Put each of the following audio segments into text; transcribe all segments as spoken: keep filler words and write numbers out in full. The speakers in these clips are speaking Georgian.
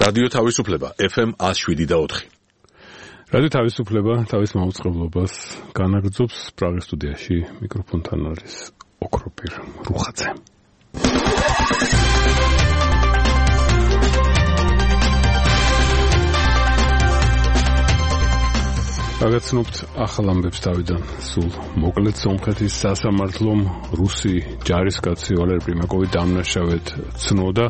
რადიო თავისუფლება ეფ ემ one oh seven და four. რადიო თავისუფლება თავის მაუწყებლობას განაგრძობს პრაღის სტუდიაში მიკროფონთან არის ოქროპირ რუხაძე. გაგაცნობთ ახალ ამბებს თავიდან სულ მოკლედ სომხეთის სასამართლომ რუსი ჯარისკაცი ვალერი პრიმაკოვი დამნაშავედ ცნოდა.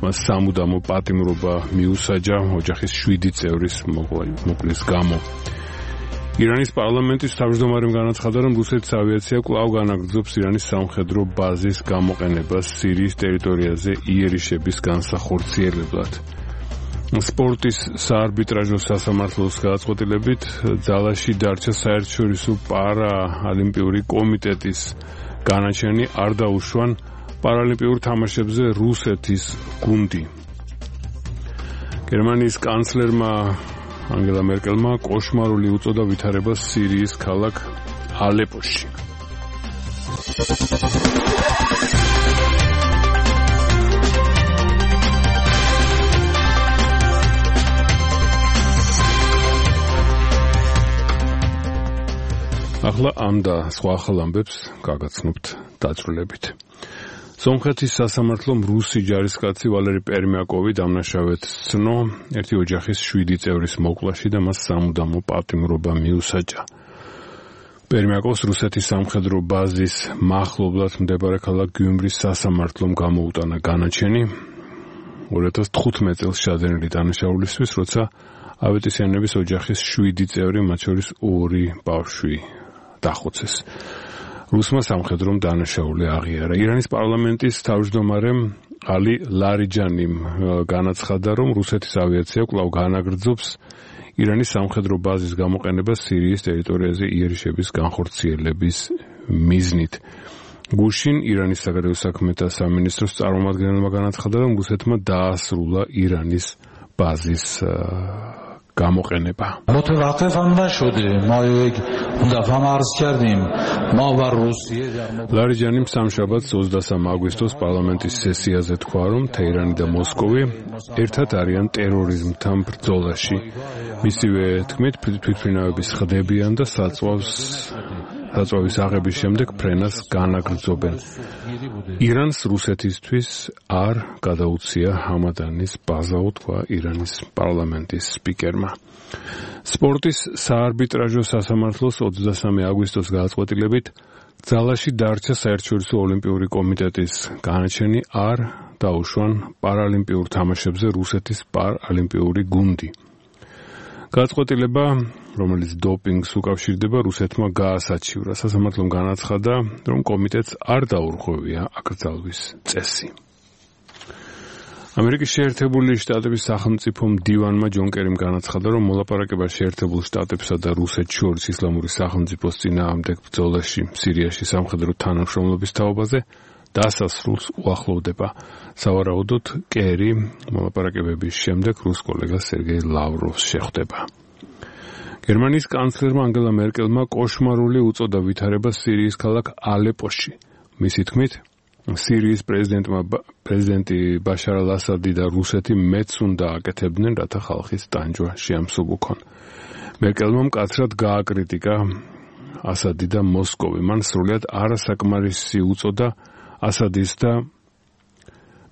მას სამუდამო პატიმრობა მიუსაჯა ოჯახის შვიდი წევრის მოკლის გამო. ირანის პარლამენტის თავმჯდომარემ განაცხადა, რომ რუსეთის ავიაცია კვლავ განაგრძობს ირანის სამხედრო ბაზის გამოყენებას სირიის ტერიტორიაზე იერიშების განსახორციელებლად. სპორტის საარბიტრაჟო სასამართლოს გადაწყვეტილებით ძალაში დარჩა საერთაშორისო პარაოლიმპიური კომიტეტის განაჩენი არ დაუშვან პარალიმპიურ თამაშებზე რუსეთის გუნდი. გერმანიის კანცლერმა ანგელა მერკელმა კოშმარული უწოდა ვითარებას სირიის ქალაქ ალეპოში. ახლა ამ და სხვა ახალ ამბებს გაგაცნობთ დაწვრილებით. სომხეთის სასამართლომ რუსი ჯარისკაცი ვალერი პერმიაკოვი დამნაშავედ ცნო ერთი ოჯახის შვიდი წევრის მოკვლაში და მას სამუდამო პატიმრობა მიუსაჯა. პერმიაკოვს რუსეთის სამხედრო ბაზის მახლობლად მდებარე ქალაქ გიუმრის სასამართლომ გამოუტანა განაჩენი two thousand fifteen წელს შადენილი დანაშაულისთვის, როცა ავეტისიანების ოჯახის შვიდი წევრი, მათ შორის ორი ბავშვი დახოცეს. რუსმა სამხედრომ დანაშაული აღიარა. ირანის პარლამენტის თავმჯდომარემ ალი ლარიჯანიმ განაცხადა, რომ რუსეთის ავიაცია კვლავ განაგრძობს ირანის სამხედრო ბაზის გამოყენებას სირიის ტერიტორიაზე იერიშების განხორციელების მიზნით. გუშინ ირანის საგარეო საქმეთა სამინისტროს წარმომადგენელმა განაცხადა, რომ რუსეთმა დაასრულა ირანის ბაზის გამოყენება. ლარიჯანიმ სამშაბათს ოცდასამი აგვისტოს პარლამენტის სესიაზე თქვა, რომ თეირანი და მოსკოვი ერთად არიან ტერორიზმთან ბრძოლაში. მისივე თქმით, თვითმფრინავების ხდებიან და საწვავს საწვავის აღების შემდეგ ფრენას განაგრძობენ. ირანს რუსეთისთვის არ გადაუცია ჰამადანის ბაზა, თქვა ირანის პარლამენტის სპიკერმა. სპორტის საარბიტრაჟო სასამართლოს ოცდასამი აგვისტოს გადაწყვეტილებით ძალაში დარჩა საერთაშორისო ოლიმპიური კომიტეტის განაჩენი არ დაუშვან პარალიმპიურ თამაშებზე რუსეთის პარალიმპიური გუნდი. გადაწყვეტილება, რომელიც დოპინგს უკავშირდება, რუსეთმა გაასაჩივრა. სასამართლომ განაცხადა, რომ კომიტეტს არ დაურღვევია აკრძალვის წესი. ამერიკის შეერთებული შტატების სახელმწიფო მდივანმა ჯონ კერიმ განაცხადა, რომ მოლაპარაკება შეერთებულ შტატებსა და რუსეთს შორის ისლამური სახელმწიფოს წინააღმდეგ ბრძოლაში სირიაში სამხედრო თანამშრომლობის თაობაზე დასასრულს უახლოვდება. სავარაუდოდ კერი მოლაპარაკებების შემდეგ რუს კოლეგას სერგეი ლავროვს შეხვდება. გერმანიის კანცლერმა ანგელა მერკელმა კოშმარული უწოდა ვითარებას სირიის ქალაქ ალეპოში. მისი თქმით, სირიის პრეზიდენტმა პრეზიდენტი ბაშარ ალ-ასადი და რუსეთი მეც უნდა აკეთებდნენ, რათა ხალხის ტანჯვა შეამსუბუქონ. მერკელმა მკაცრად გააკრიტიკა ასადი და მოსკოვი. მან სრულად არასაკმარისი უწოდა ასადის და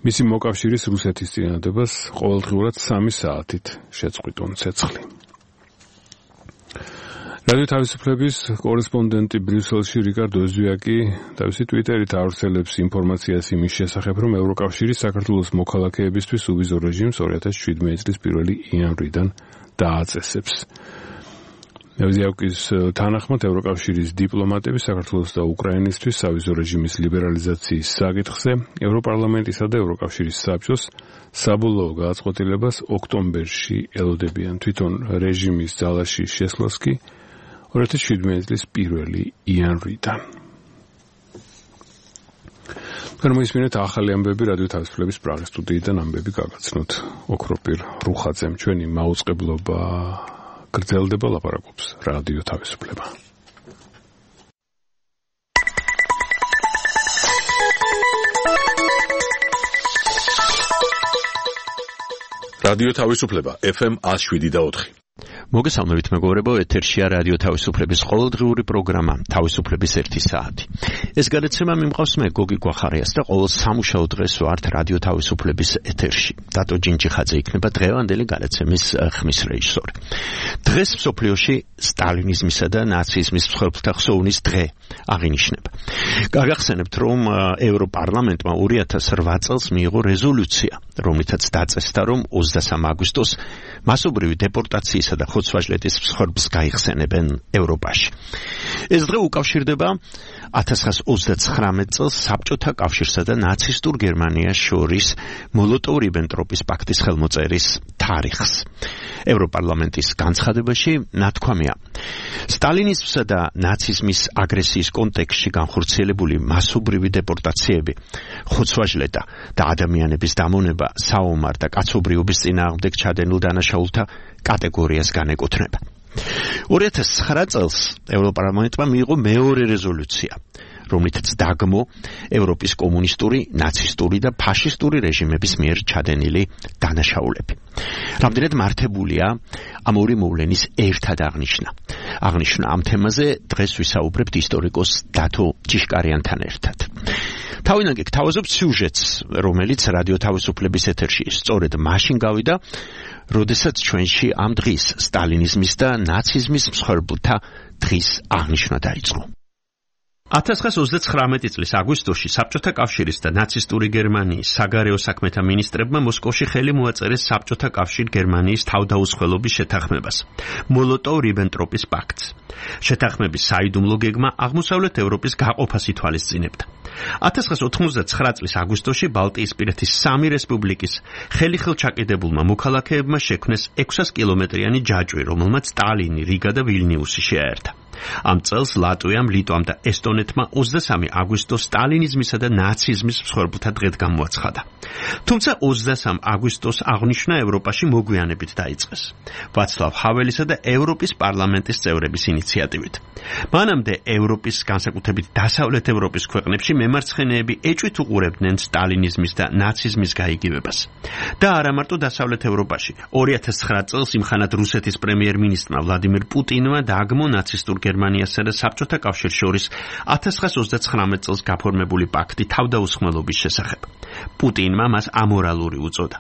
მისი მოკავშირის რუსეთის წინადადებას ყოველდღიურად სამი საათით შეწყვიტონ ცეცხლი. რადიო თავისუფლების კორესპონდენტი ბრიუსელში რიკარდო ეზვიაკი თავისი ტვიტერით ავრცელებს ინფორმაციას იმის შესახებ, რომ ევროკავშირი საქართველოს მოქალაქეებისთვის უვიზო რეჟიმს two thousand seventeen წლის პირველი იანვრიდან დააწესებს. ეზვიაკის თანახმად ევროკავშირის დიპლომატები საქართველოს და უკრაინისთვის სავიზო რეჟიმის ლიბერალიზაციის საკითხზე ევროპარლამენტისა და ევროკავშირის საბჭოს საბოლოო გადაწყვეტილებას ოქტომბერში ელოდებიან. თვითონ რეჟიმის ძალაში შესვლას კი two thousand seventeen წლის პირველი იანვრიდან. გამოისმინეთ ახალი ამბები რადიო თავისუფლების პრაღის სტუდიიდან ამბები გაგაცნოთ ოქროპირ რუხაძემ. ჩვენი მაუწყებლობა გრძელდება, ლაპარაკობს რადიო თავისუფლება. რადიო თავისუფლება ეფ ემ one oh seven point four. მოგესალმებით მეგობრებო, ეთერშია რადიო თავისუფლების ყოველდღიური პროგრამა თავისუფლების ერთი საათი. ეს გადაცემა მიმყავს მე გოგი გვახარიას და ყოველ სამუშაო დღეს ვართ რადიო თავისუფლების ეთერში. დატო ჯინჯიხაძე იქნება დღევანდელი გადაცემის ხმის რეჟისორი. დღეს მსოფლიოში სტალინიზმისა და ნაციზმის მსხვერპლთა ხსოვნის დღე აღინიშნება. გაგახსენებთ, რომ ევროპარლამენტმა two thousand eight წელს მიიღო რეზოლუცია, რომლითაც დაწესდა, რომ ოცდასამი აგვისტოს მასობრივი დეპორტაციის და ხოცვაჟლეთის მსხვერპლს გაიხსენებენ ევროპაში. ეს დღე უკავშირდება one thousand nine hundred twenty-nine წელს საბჭოთა კავშირსა და ნაცისტურ გერმანიას შორის მოლოტოვ-რიბენტროპის პაქტის ხელმოწერის თარიღს. ევროპარლამენტის განცხადებაში ნათქვამია, სტალინიზმსა და ნაციზმის აგრესიის კონტექსტში განხორციელებული მასობრივი დეპორტაციები, ხოცვაჟლეტა და ადამიანების დამონება საომარ და კაცობრიობის წინააღმდეგ ჩადენილ დანაშაულთა კატეგორიას განეკუთვნება. two thousand nine წელს ევროპარლამენტმა მიიღო მეორე რეზოლუცია, რომლითაც დაგმო ევროპის კომუნისტური, ნაცისტური და ფაშისტური რეჟიმების მიერ ჩადენილი დანაშაულები. რამდენად მართებულია ამ ორი მოვლენის ერთად აღნიშვნა. აღნიშნა ამ თემაზე დღეს ვისაუბრებთ ისტორიკოს დათო ჯიშკარიანთან ერთად. თავინაგე გთავაზობთ სიუჟეტს, რომელიც რადიო თავისუფლების ეთერში სწორედ მაშინ გავიდა, როდესაც ჩვენში ამ დღის სტალინიზმის და ნაციზმის მსხვერპლთა დღის აღნიშვნა დაიწყო. one thousand nine hundred twenty-nine წლის აგვისტოში საბჭოთა კავშირის და ნაცისტური გერმანიის საგარეო საქმეთა მინისტრებმა მოსკოვში ხელი მოაწერეს საბჭოთა კავშირ გერმანიის თავდაუცველობის შეთანხმებას, მოლოტოვ-რიბენტროპის პაქტს. შეთანხმების საიდუმლო გეგმა აღმოსავლეთ ევროპის გაყოფას ითვალისწინებდა. one thousand ninety-nine წლის აგვისტოში ბალტიისპირეთის სამი რესპუბლიკის ხელიხელ ჩაკიდებულმა მოქალაქეებმა შექმნეს six hundred კილომეტრიანი ჯაჭვი, რომელმაც ტალინი, რიგა და ვილნიუსი შეაერთა. ამ წელს ლატვიამ, ლიტვამ და ესტონეთმა ოცდასამი აგვისტოს სტალინიზმისა და ნაციზმის მსხვერპლთა დღედ გამოაცხადა. თუმცა ოცდასამი აგვისტოს აღნიშვნა ევროპაში მოგვიანებით დაიწყეს, ვაცლავ ჰაველისა და ევროპის პარლამენტის წევრების ინიციატივით. მანამდე ევროპის, განსაკუთრებით დასავლეთ ევროპის ქვეყნებში მემარცხენეები ეჭვით უყურებდნენ სტალინიზმის და ნაციზმის გაიგივებას. და არა მარტო დასავლეთ ევროპაში. two thousand nine წელს იმხანად რუსეთის პრემიერ-მინისტრმა ვლადიმირ პუტინმა დაგმო ნაცისტურ გერმანიასა და საბჭოთა კავშირს შორის one thousand ninety-nine წელს გაფორმებული პაქტი თავდაუსხმელობის შესახებ. პუტინმა მას ამორალური უწოდა.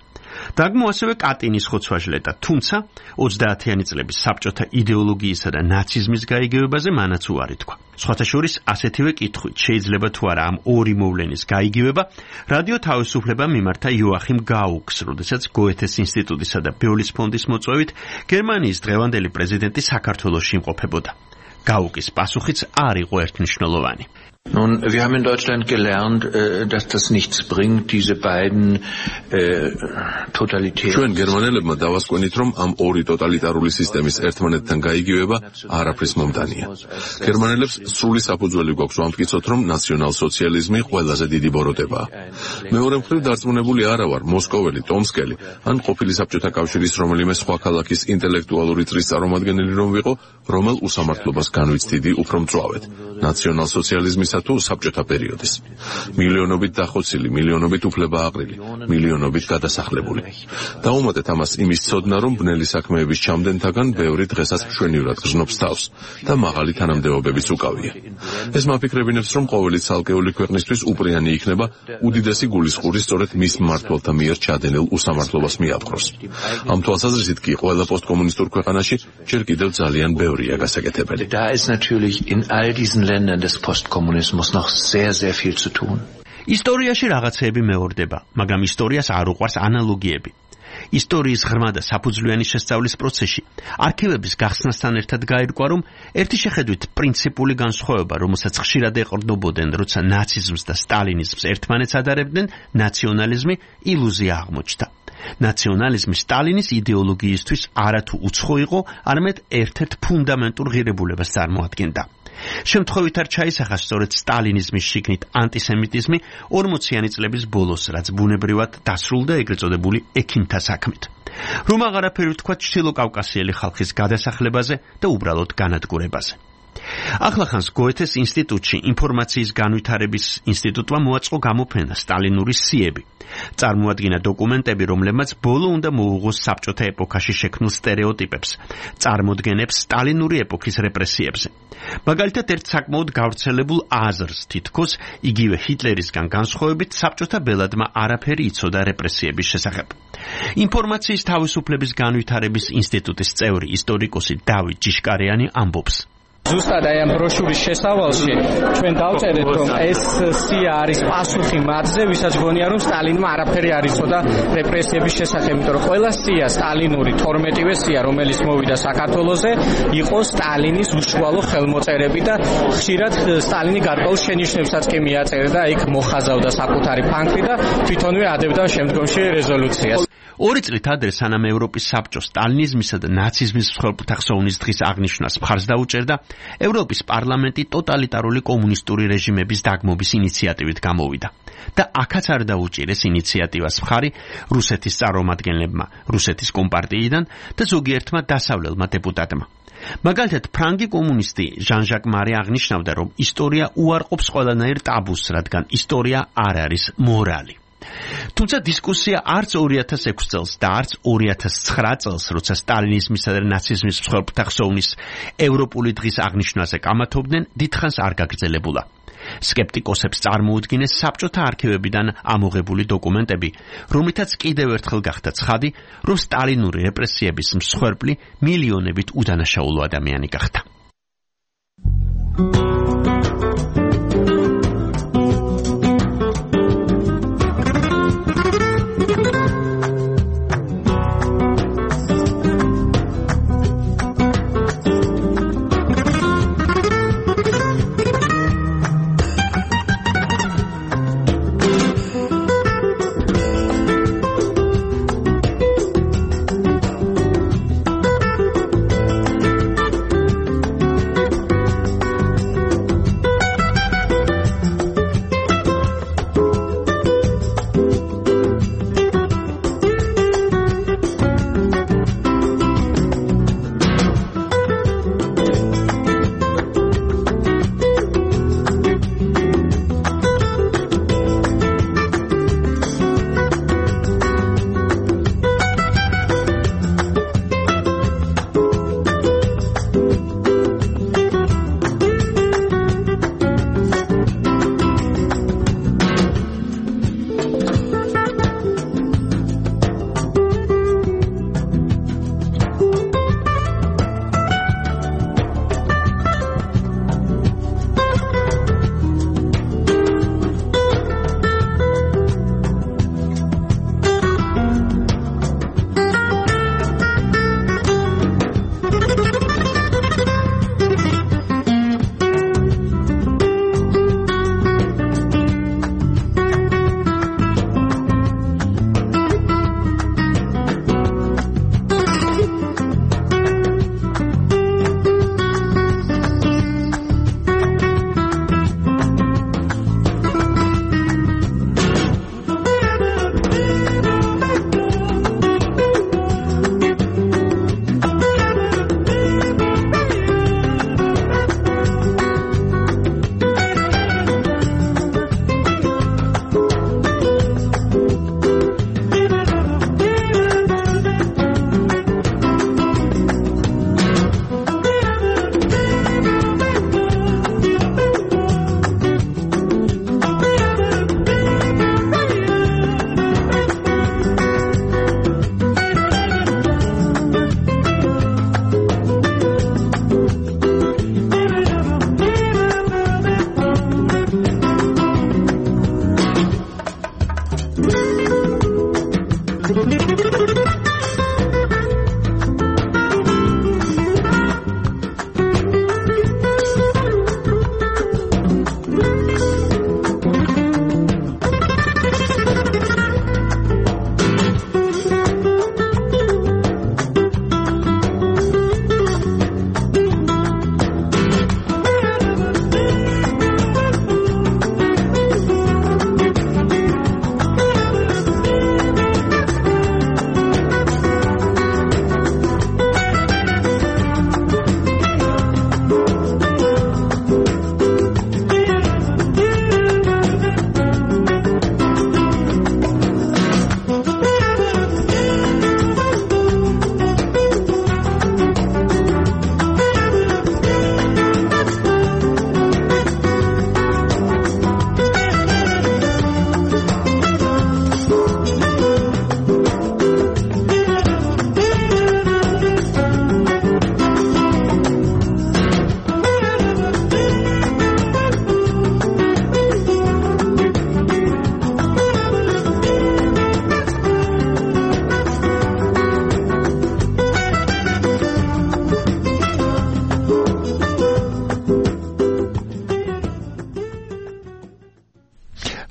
დაგმო ასევე კატინის ხოცვაჟლეტა, თუმცა ოცდაათიანი წლების საბჭოთა იდეოლოგიისა და ნაციზმის გაიგივებაზე მანაც უარი თქვა. სხვათა შორის ასეთივე კითხვით შეიძლება თუ არა ამ ორი მოვლენის გაიგივება, რადიო თავისუფლება მიმართა იოახიმ გაუკს, როდესაც გოეთეს ინსტიტუტისა და ბეოლის ფონდის მოწვევით გერმანიის დღევანდელი პრეზიდენტი საქართველოში იმყოფებოდა. გაუკის პასუხიც არ იყო ერთმნიშვნელოვანი. Nun, wir haben in Deutschland gelernt, dass das nichts bringt, diese beiden äh, totalitären... ჩვენ გერმანელებმა დავასკვენით, რომ ამ ორი ტოტალიტარული სისტემის ერთმანეთთან გაიგივება არაფრის მომდანია. გერმანელებს სრული საფუძველი გვაქვს ვამტკიცოთ, რომ ნაციონალ-სოციალიზმი ყველაზე დიდი ბოროტებაა. მეორე მხრივ დარწმუნებული არა ვარ, მოსკოველი, ტომსკელი, ან ყოფილი საბჭოთა კავშირის რომელიმე სხვა ქალაქის ინტელექტუალური წრის წარმომადგენელი რომ ვიყო, რომელ უსამართლობას განვიცდიდი უფრო მწვავედ. ნაციონალ-სოციალიზმის თუ საბჭოთა პერიოდის. მილიონობით დახოცილი, მილიონობით უფლება აყრილი, მილიონობით გადასახლებული. დაუმატეთ ამას იმის ცოდნა, რომ ბნელი საქმეების ჩამდენთაგან ბევრი დღესაც მშვენივრად გრძნობს თავს და მაღალი თანამდებობებიც უკავია. ეს მაფიქრებინებს, რომ ყოველი ცალკეული ქვეყნისთვის უპრიანი იქნება უდიდესი გულისხმური სწორედ მის მმართველთა მიერ ჩადენილ უსამართლობას მიაპყროს. ამ თვალსაზრისით კი ყველა პოსტკომუნისტურ ქვეყანაში ჯერ კიდევ ძალიან ბევრია გასაკეთებელი. Da ist natürlich in all diesen Ländern des Postkommunismus muss noch sehr, sehr viel zu tun. ისტორიაში რაღაცეები მეორდება, მაგრამ ისტორიას არ უყვარს ანალოგიები. ისტორიის ღრმა და საფუძვლიანი შესწავლის პროცესში არქივების გახსნასთან ერთად გაირკვა, რომ ერთი შეხედვით პრინციპული განსხვავება, რომელსაც ხშირად ეყრდნობოდნენ, როცა ნაციზმს და სტალინიზმს ერთმანეთს ადარებდნენ, ნაციონალიზმი ილუზია აღმოჩნდა. ნაციონალიზმი სტალინის იდეოლოგიისთვის არათუ უცხო იყო, არამედ ერთ-ერთ ფუნდამენტურ ღირებულებას წარმოადგენდა. შემთხვევით არ ჩაისახა სწორედ სტალინიზმის შიგნით ანტისემიტიზმი ორმოციანი წლების ბოლოს, რაც ბუნებრივად დასრულდა ეგრეთ წოდებული ექიმთა საქმით. რომ აღარაფერი ვთქვა ჩრდილო კავკასიელი ხალხის გადასახლებაზე და უბრალოდ განადგურებაზე. ახლახანს გოეთეს ინსტიტუტში ინფორმაციის განვითარების ინსტიტუტმა მოაწყო გამოფენა სტალინური სიები. წარმოადგინა დოკუმენტები, რომლებმაც ბოლო უნდა მოუღოს საბჭოთა ეპოქაში შექმნილ სტერეოტიპებს, წარმოდგენებს სტალინური ეპოქის რეპრესიებზე. მაგალითად, ერთ საკმაოდ გავრცელებულ აზრს თითქოს იგივე ჰიტლერისგან განსხვავებით საბჭოთა ბელადმა არაფერი იცოდა რეპრესიების შესახებ. ინფორმაციის თავისუფლების განვითარების ინსტიტუტის წევრი ისტორიკოსი დავით ჯიშკარიანი ამბობს. ზუსტად აი ამ ბროშურის შესავალში ჩვენ დავწერეთ, რომ ეს სია არის პასუხი მათზე, ვისაც გონია, რომ სტალინმა არაფერი არ იცოდა რეპრესიების შესახებ, იმიტომ რომ ყველა სია სტალინური თორმეტივე სია, რომელიც მოვიდა საქართველოზე, იყო სტალინის უშუალო ხელმოწერები და ხშირად სტალინი გარკვეულ შენიშვნებსაც კი მიაწერდა და იქ მოხაზავდა საკუთარი ფანქრი და თვითონვე ადებდა შემდგომში რეზოლუციას. ორი წლით ადრე, სანამ ევროპის საბჭო სტალინიზმისა და ნაციზმის მსხვერპლთა ხსოვნის დღის აღნიშვნას მხარს დაუჭერდა, ევროპის პარლამენტი ტოტალიტარული კომუნისტური რეჟიმების დაგმობის ინიციატივით გამოვიდა და აქაც არ დაუჭირეს ინიციატივას მხარი რუსეთის წარმომადგენლებმა, რუსეთის კომპარტიიდან და ზოგიერთმა დასავლელმა დეპუტატმა. მაგალითად, ფრანგი კომუნისტი ჟან-ჟაკ მარი აღნიშნავდა, რომ ისტორია უარყოფს ყველანაირ ტაბუს, რადგან ისტორია არ არის მორალი. თუმცა დისკუსია არც ორი ათას ექვსი წელს და არც ორი ათას ცხრა წელს, როცა სტალინიზმისა და ნაციზმის მსხვერპლთა ხსოვნის ევროპული დღის აღნიშვნაზე კამათობდნენ, დიდხანს არ გაგრძელებულა. სკეპტიკოსებს წარმოუდგინეს საბჭოთა არქივებიდან ამოღებული დოკუმენტები, რომლითაც კიდევ ერთხელ გახდა ცხადი, რომ სტალინური რეპრესიების მსხვერპლი მილიონებით უდანაშაულო ადამიანი გახდა.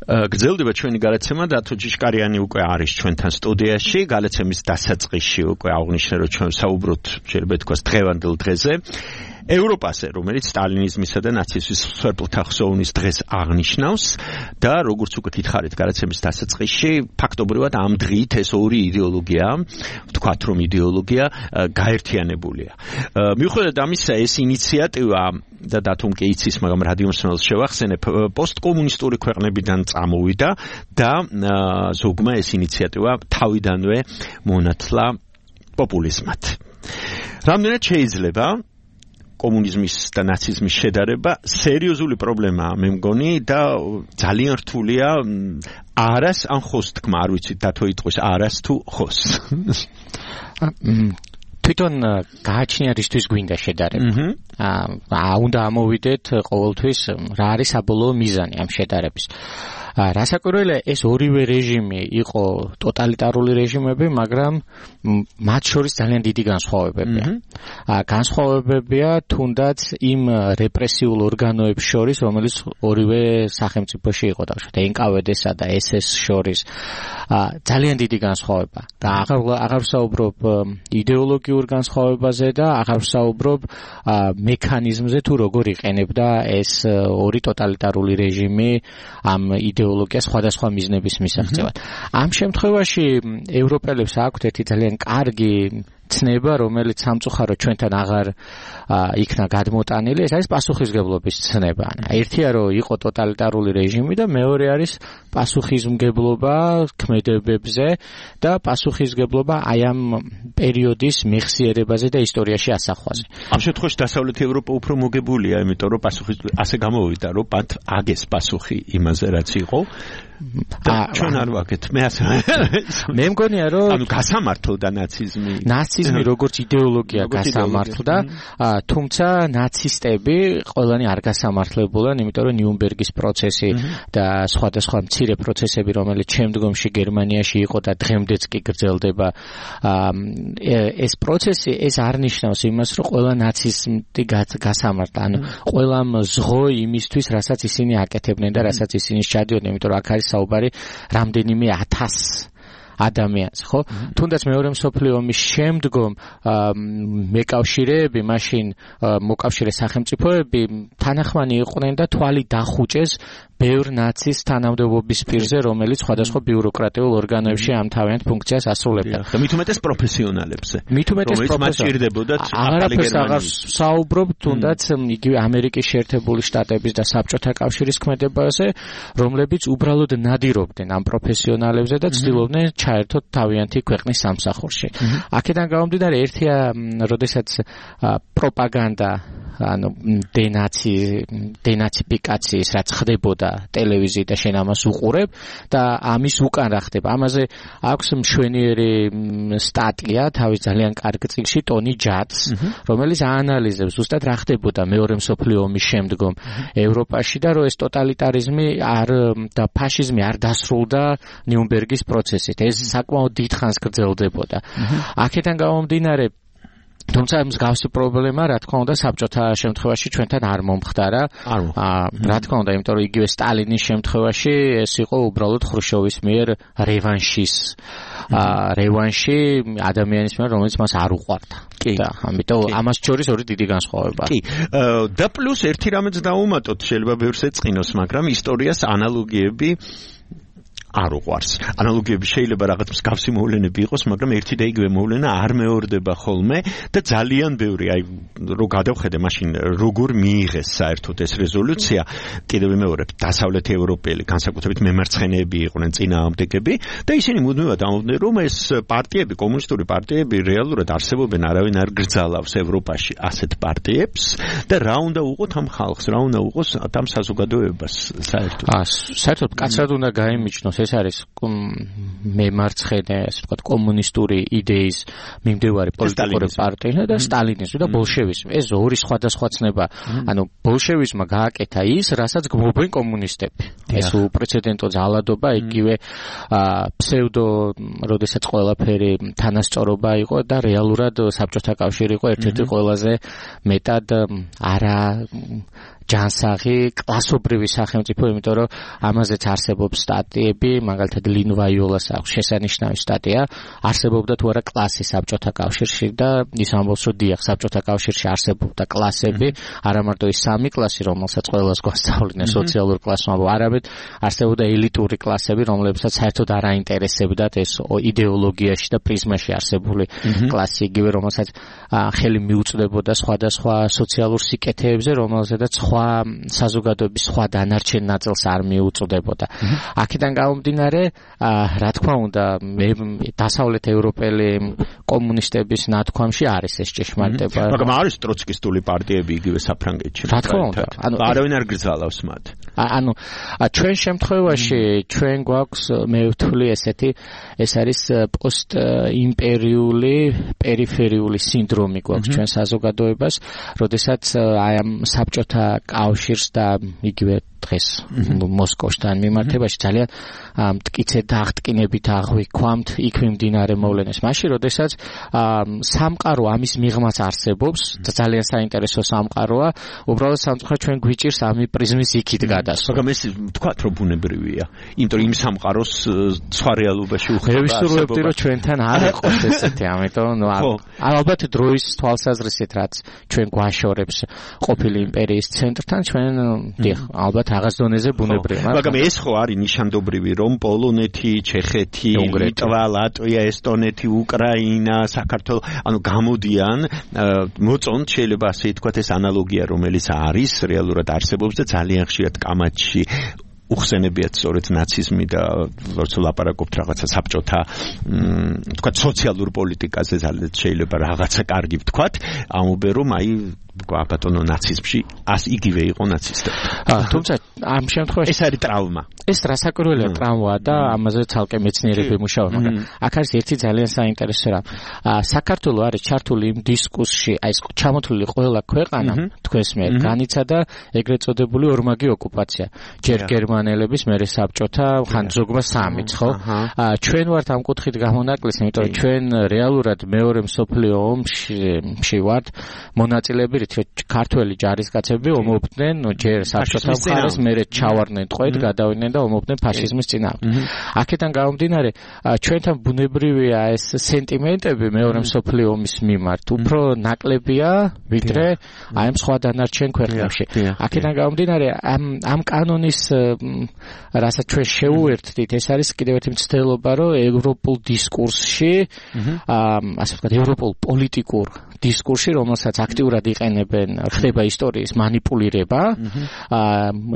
გრძელდება ჩვენი გადაცემა და თო ჯიშკარიანი უკვე არის ჩვენთან სტუდიაში გადაცემის დასაწყისში უკვე აღნიშნე რომ ჩვენ საუბრობთ შეიძლება ითქვას დღევანდელ დღეზე ევროპაზე, რომელიც სტალინიზმისა და ნაციზმის მსხვერპლთა ხსოვნის დღეს აღნიშნავს და როგორც უკვე გითხარით გადაცემის დასაწყისში, ფაქტობრივად ამ დღით ეს ორი იდეოლოგია, ვთქვათ რომ იდეოლოგია გაერთიანებულია. მიუხედავად ამისა, ეს ინიციატივა და დათომ კი იცის, მაგრამ რადიომსმენელს შევახსენებ, პოსტკომუნისტური ქვეყნებიდან წამოვიდა და ზოგმა ეს ინიციატივა თავიდანვე მონათლა პოპულიზმად. რამდენად შეიძლება კომუნიზმის და ნაციზმის შედარება სერიოზული პრობლემაა, მე მგონი და ძალიან რთულია არას ან ხოს თქმა, არ ვიცით დათო იტყვის არას თუ ხოს. თვითონ გააჩნია რისთვის გვინდა შედარება. აა უნდა ამოვიდეთ ყოველთვის რა არის საბოლოო მიზანი ამ შედარების. რასაკვირველია ეს ორივე რეჟიმი იყო ტოტალიტარული რეჟიმები, მაგრამ მათ შორის ძალიან დიდი განსხვავებებია. განსხვავებებია თუნდაც იმ რეპრესიულ ორგანოებს შორის, რომელიც ორივე სახელმწიფოში იყო და ენ კა ვე დე-სა და ეს ეს შორის ძალიან დიდი განსხვავება. და აღარ აღარ ვსაუბრობ იდეოლოგიურ განსხვავებაზე და აღარ ვსაუბრობ მექანიზმზე თუ როგორ იყენებდა ეს ორი ტოტალიტარული რეჟიმი ამ იდეოლოგიას სხვადასხვა მიზნების მისაღწევად. ამ შემთხვევაში ევროპელებს აქვთ ერთი ძალიან კარგი ცნება, რომელიც სამწუხაროდ ჩვენთან აღარ იქნა გადმოტანილი, ეს არის პასუხისმგებლობის ცნება. ერთია რომ იყო ტოტალიტარული რეჟიმი და მეორე არის პასუხისმგებლობა ქმედებებზე და პასუხისმგებლობა აი ამ პერიოდის მეხსიერებაზე და ისტორიაში ასახვაზე. ამ შემთხვევაში დასავლეთი ევროპა უფრო მოგებულია, იმიტომ რომ პასუხის ასე გამოვიდა, რომ მათ აგეს პასუხი იმაზე, რაც იყო. ჩვენ არ ვაკეთ, მე ასე მე მგონია რომ ანუ გასამართლდა ნაციზმი. ნაციზმი როგორც იდეოლოგია გასამართლდა, თუმცა ნაცისტები ყველანი არ გასამართლებულან, იმიტომ რომ ნიუნბერგის პროცესი და სხვადასხვა მცირე პროცესები, რომელიც შემდგომში გერმანიაში იყო და დღემდეც კი გრძელდება, ეს პროცესი ეს არ ნიშნავს იმას, რომ ყველა ნაცისტი გასამართლა, ანუ ყველამ ზღო იმისთვის, რასაც ისინი აკეთებდნენ და რასაც ისინი სჩადიოდნენ, იმიტომ რომ აქ არის საუბარი რამდენიმე ათას ადამიანს, ხო? თუნდაც მეორე მსოფლიო ომის შემდგომ მეკავშირეები, მაშინ მოკავშირე სახელმწიფოები თანახმანი იყვნენ და თვალი დახუჭეს ბევრ ნაცის თანამდებობის პირზე, რომელიც სხვადასხვა ბიუროკრატიულ ორგანოებში ამ თავიანთ ფუნქციას ასრულებდა. და მით უმეტეს პროფესიონალებზე. მით უმეტეს პროფესიონალებსაც აღარაფერს აღარ საუბრობ, თუნდაც იგივე ამერიკის შეერთებული შტატების და საბჭოთა კავშირის ქმედებაზე, რომლებიც უბრალოდ ნადირობდნენ ამ პროფესიონალებზე და ცდილობდნენ ჩაერთოთ თავიანთი ქვეყნის სამსახურში. აქედან გამომდინარე, ერთია, როდესაც პროპაგანდა ანუ დენაცი დენაციფიკაციის რაც ხდებოდა ტელევიზიით და შენ ამას უყურებ და ამის უკან რა ხდება. ამაზე აქვს მშვენიერი სტატია თავის ძალიან კარგ წიგნში ტონი ჯადს, რომელიც აანალიზებს ზუსტად რა ხდებოდა მეორე მსოფლიო ომის შემდგომ ევროპაში და რომ ეს ტოტალიტარიზმი არ და ფაშიზმი არ დასრულდა ნიუნბერგის პროცესით. ეს საკმაოდ დიდხანს გრძელდებოდა. აქედან გამომდინარე თუმცა მსგავსი პრობლემა რა თქმა უნდა საბჭოთა შემთხვევაში ჩვენთან არ მომხდარა. რა თქმა უნდა, იმიტომ რომ იგივე სტალინის შემთხვევაში ეს იყო უბრალოდ ხრუშჩოვის მიერ რევანშის რევანში ადამიანის მიერ, რომელიც მას არ უყვარდა. და ამიტომ ამას შორის ორი დიდი განსხვავებაა. კი. და პლუს ერთი რამეც დაუმატოთ, შეიძლება ბევრს ეწყინოს, მაგრამ ისტორიას ანალოგიები არ უყვარს. ანალოგიები შეიძლება რაღაც მსგავსი მოვლენები იყოს, მაგრამ ერთი და იგივე მოვლენა არ მეორდება ხოლმე და ძალიან ბევრი, აი რო გადავხედე მაშინ როგორ მიიღეს საერთოდ ეს რეზოლუცია, კიდევ ვიმეორებ, დასავლეთი ევროპელი, განსაკუთრებით მემარცხენეები იყვნენ წინააღმდეგები და ისინი მუდმივად ამბობდნენ, რომ ეს პარტიები, კომუნისტური პარტიები რეალურად არსებობენ, არავინ არ გრძალავს ევროპაში ასეთ პარტიებს და რა უნდა უყოთ ამ ხალხს, რა უნდა უყოს ამ საზოგადოებას საერთოდ. აა საერთოდ კაცრად უნდა გაიმიჯნოს, ეს არის მემარცხენე, ასე ვთქვათ, კომუნისტური იდეის მიმდევარი პოლიტიკური პარტია და სტალინიზმი და ბოლშევიზმი. ეს ორი სხვადასხვა ცნება. ანუ ბოლშევიზმმა გააკეთა ის, რასაც გმობენ კომუნისტები. ეს უპრეცედენტო ძალადობა, იგივე ფსევდო, როდესაც ყველაფერი თანასწორობა იყო და რეალურად საბჭოთა კავშირი იყო ერთ-ერთი ყველაზე მეტად არა ჯანსაღი კლასობრივი სახელმწიფო, იმიტომ რომ ამაზეც არსებობს სტატიები, მაგალითად ლინ ვაიოლას აქვს შესანიშნავი სტატია, არსებობდა თუ არა კლასი საბჭოთა კავშირში და ის ამბობს, რომ დიახ, საბჭოთა კავშირში არსებობდა კლასები, არა მარტო ის სამი კლასი, რომელსაც ყველას გვასწავლიდნენ სოციალურ კლასმა, არამედ არსებობდა ელიტური კლასები, რომლებსაც საერთოდ არ აინტერესებდათ ეს იდეოლოგიაში და პრიზმაში არსებული კლასი, იგივე რომელსაც ხელი მიუწვდებოდა სხვადასხვა სოციალურ სიკეთეებზე, რომელზედაც სხვა საზოგადოების სხვა დანარჩენ ნაწილს არ მიუწვდებოდა. აქედან გამომდინარე, რა თქმა უნდა, დასავლეთ ევროპელი კომუნისტების ნათქვამში არის ეს ჭეშმარიტება. მაგრამ არის ტროცკისტული პარტიები იგივე საფრანგეთში. რა თქმა უნდა, ანუ არავინ არ გრძალავს მათ. ანუ ჩვენ შემთხვევაში ჩვენ გვაქვს მე ვთვლი ესეთი ეს არის პოსტ-იმპერიული პერიფერიული სინდრომი გვაქვს ჩვენ საზოგადოებას, როდესაც აი ამ საბჭოთა კავშირს და იგივე დღეს მოსკოვთან მიმართებაში ძალიან მტკიცე დაღტკინებით აღვიქვამთ იქ მიმდინარე მოვლენებს. მაშინ, როდესაც სამყარო ამის მიღმაც არსებობს, ძალიან საინტერესო სამყაროა, უბრალოდ სამწუხაროდ ჩვენ გვიჭირს ამი პრიზმის იქით გადასვლა. მაგრამ ეს თქვა რომ ბუნებრივია, იმიტომ რომ იმ სამყაროს სხვა რეალობაში უხდება. მე ვისურვებდი რომ ჩვენთან არ იყოს ესეთი, ამიტომ ნუ ალბათ დროის თვალსაზრისით რაც ჩვენ გვაშორებს ყოფილი იმპერიის ცენტრთან, ჩვენ დიახ, ალბათ რაღაც დონეზე ბუნებრივია. მაგრამ ეს ხო არის ნიშანდობრივი, რომ პოლონეთი, ჩეხეთი, ლიტვა, ლატვია, ესტონეთი, უკრაინა, საქართველო, ანუ გამოდიან, მოწონთ შეიძლება ასე ითქვათ ეს ანალოგია, რომელიც არის რეალურად არსებობს და ძალიან ხშირად კამათში უხსენებიათ სწორედ ნაციზმი და როცა ლაპარაკობთ რაღაცა საბჭოთა თქვა სოციალურ პოლიტიკაზე ძალიან შეიძლება რაღაცა კარგი ვთქვათ, ამობენ რომ აი ბატონო ნაციზმში ას იგივე იყო ნაცისტები. თუმცა ამ შემთხვევაში ეს არის ტრავმა. ეს რასაკვირველია ტრავმაა და ამაზე ცალკე მეცნიერები მუშაობენ, მაგრამ აქ არის ერთი ძალიან საინტერესო რამ. საქართველო არის ჩართული იმ დისკუსში, აი ეს ჩამოთვლილი ყველა ქვეყანა თქვენს მიერ განიცადა ეგრეთ წოდებული ორმაგი ოკუპაცია. ჯერ გერმანელების, მერე საბჭოთა, ხან ზოგმა სამიც, ხო? ჩვენ ვართ ამ კუთხით გამონაკლისი, იმიტომ რომ ჩვენ რეალურად მეორე მსოფლიო ომში ვართ მონაწილეები, ქართველი ჯარისკაცები ომობდნენ ჯერ საბჭოთა მხარეს, მერე ჩავარდნენ ტყვედ, გადავიდნენ და ომობდნენ ფაშიზმის წინააღმდეგ. აქედან გამომდინარე, ჩვენთან ბუნებრივია ეს სენტიმენტები მეორე მსოფლიო ომის მიმართ, უფრო ნაკლებია, ვიდრე აი ამ სხვა დანარჩენ ქვეყნებში. აქედან გამომდინარე, ამ ამ კანონის რასაც ჩვენ შეუერთდით, ეს არის კიდევ ერთი მცდელობა, რომ ევროპულ დისკურსში, ასე ვთქვათ, ევროპულ პოლიტიკურ დისკურსში, რომელსაც აქტიურად იყენებენ, ხდება ისტორიის манипуლირება,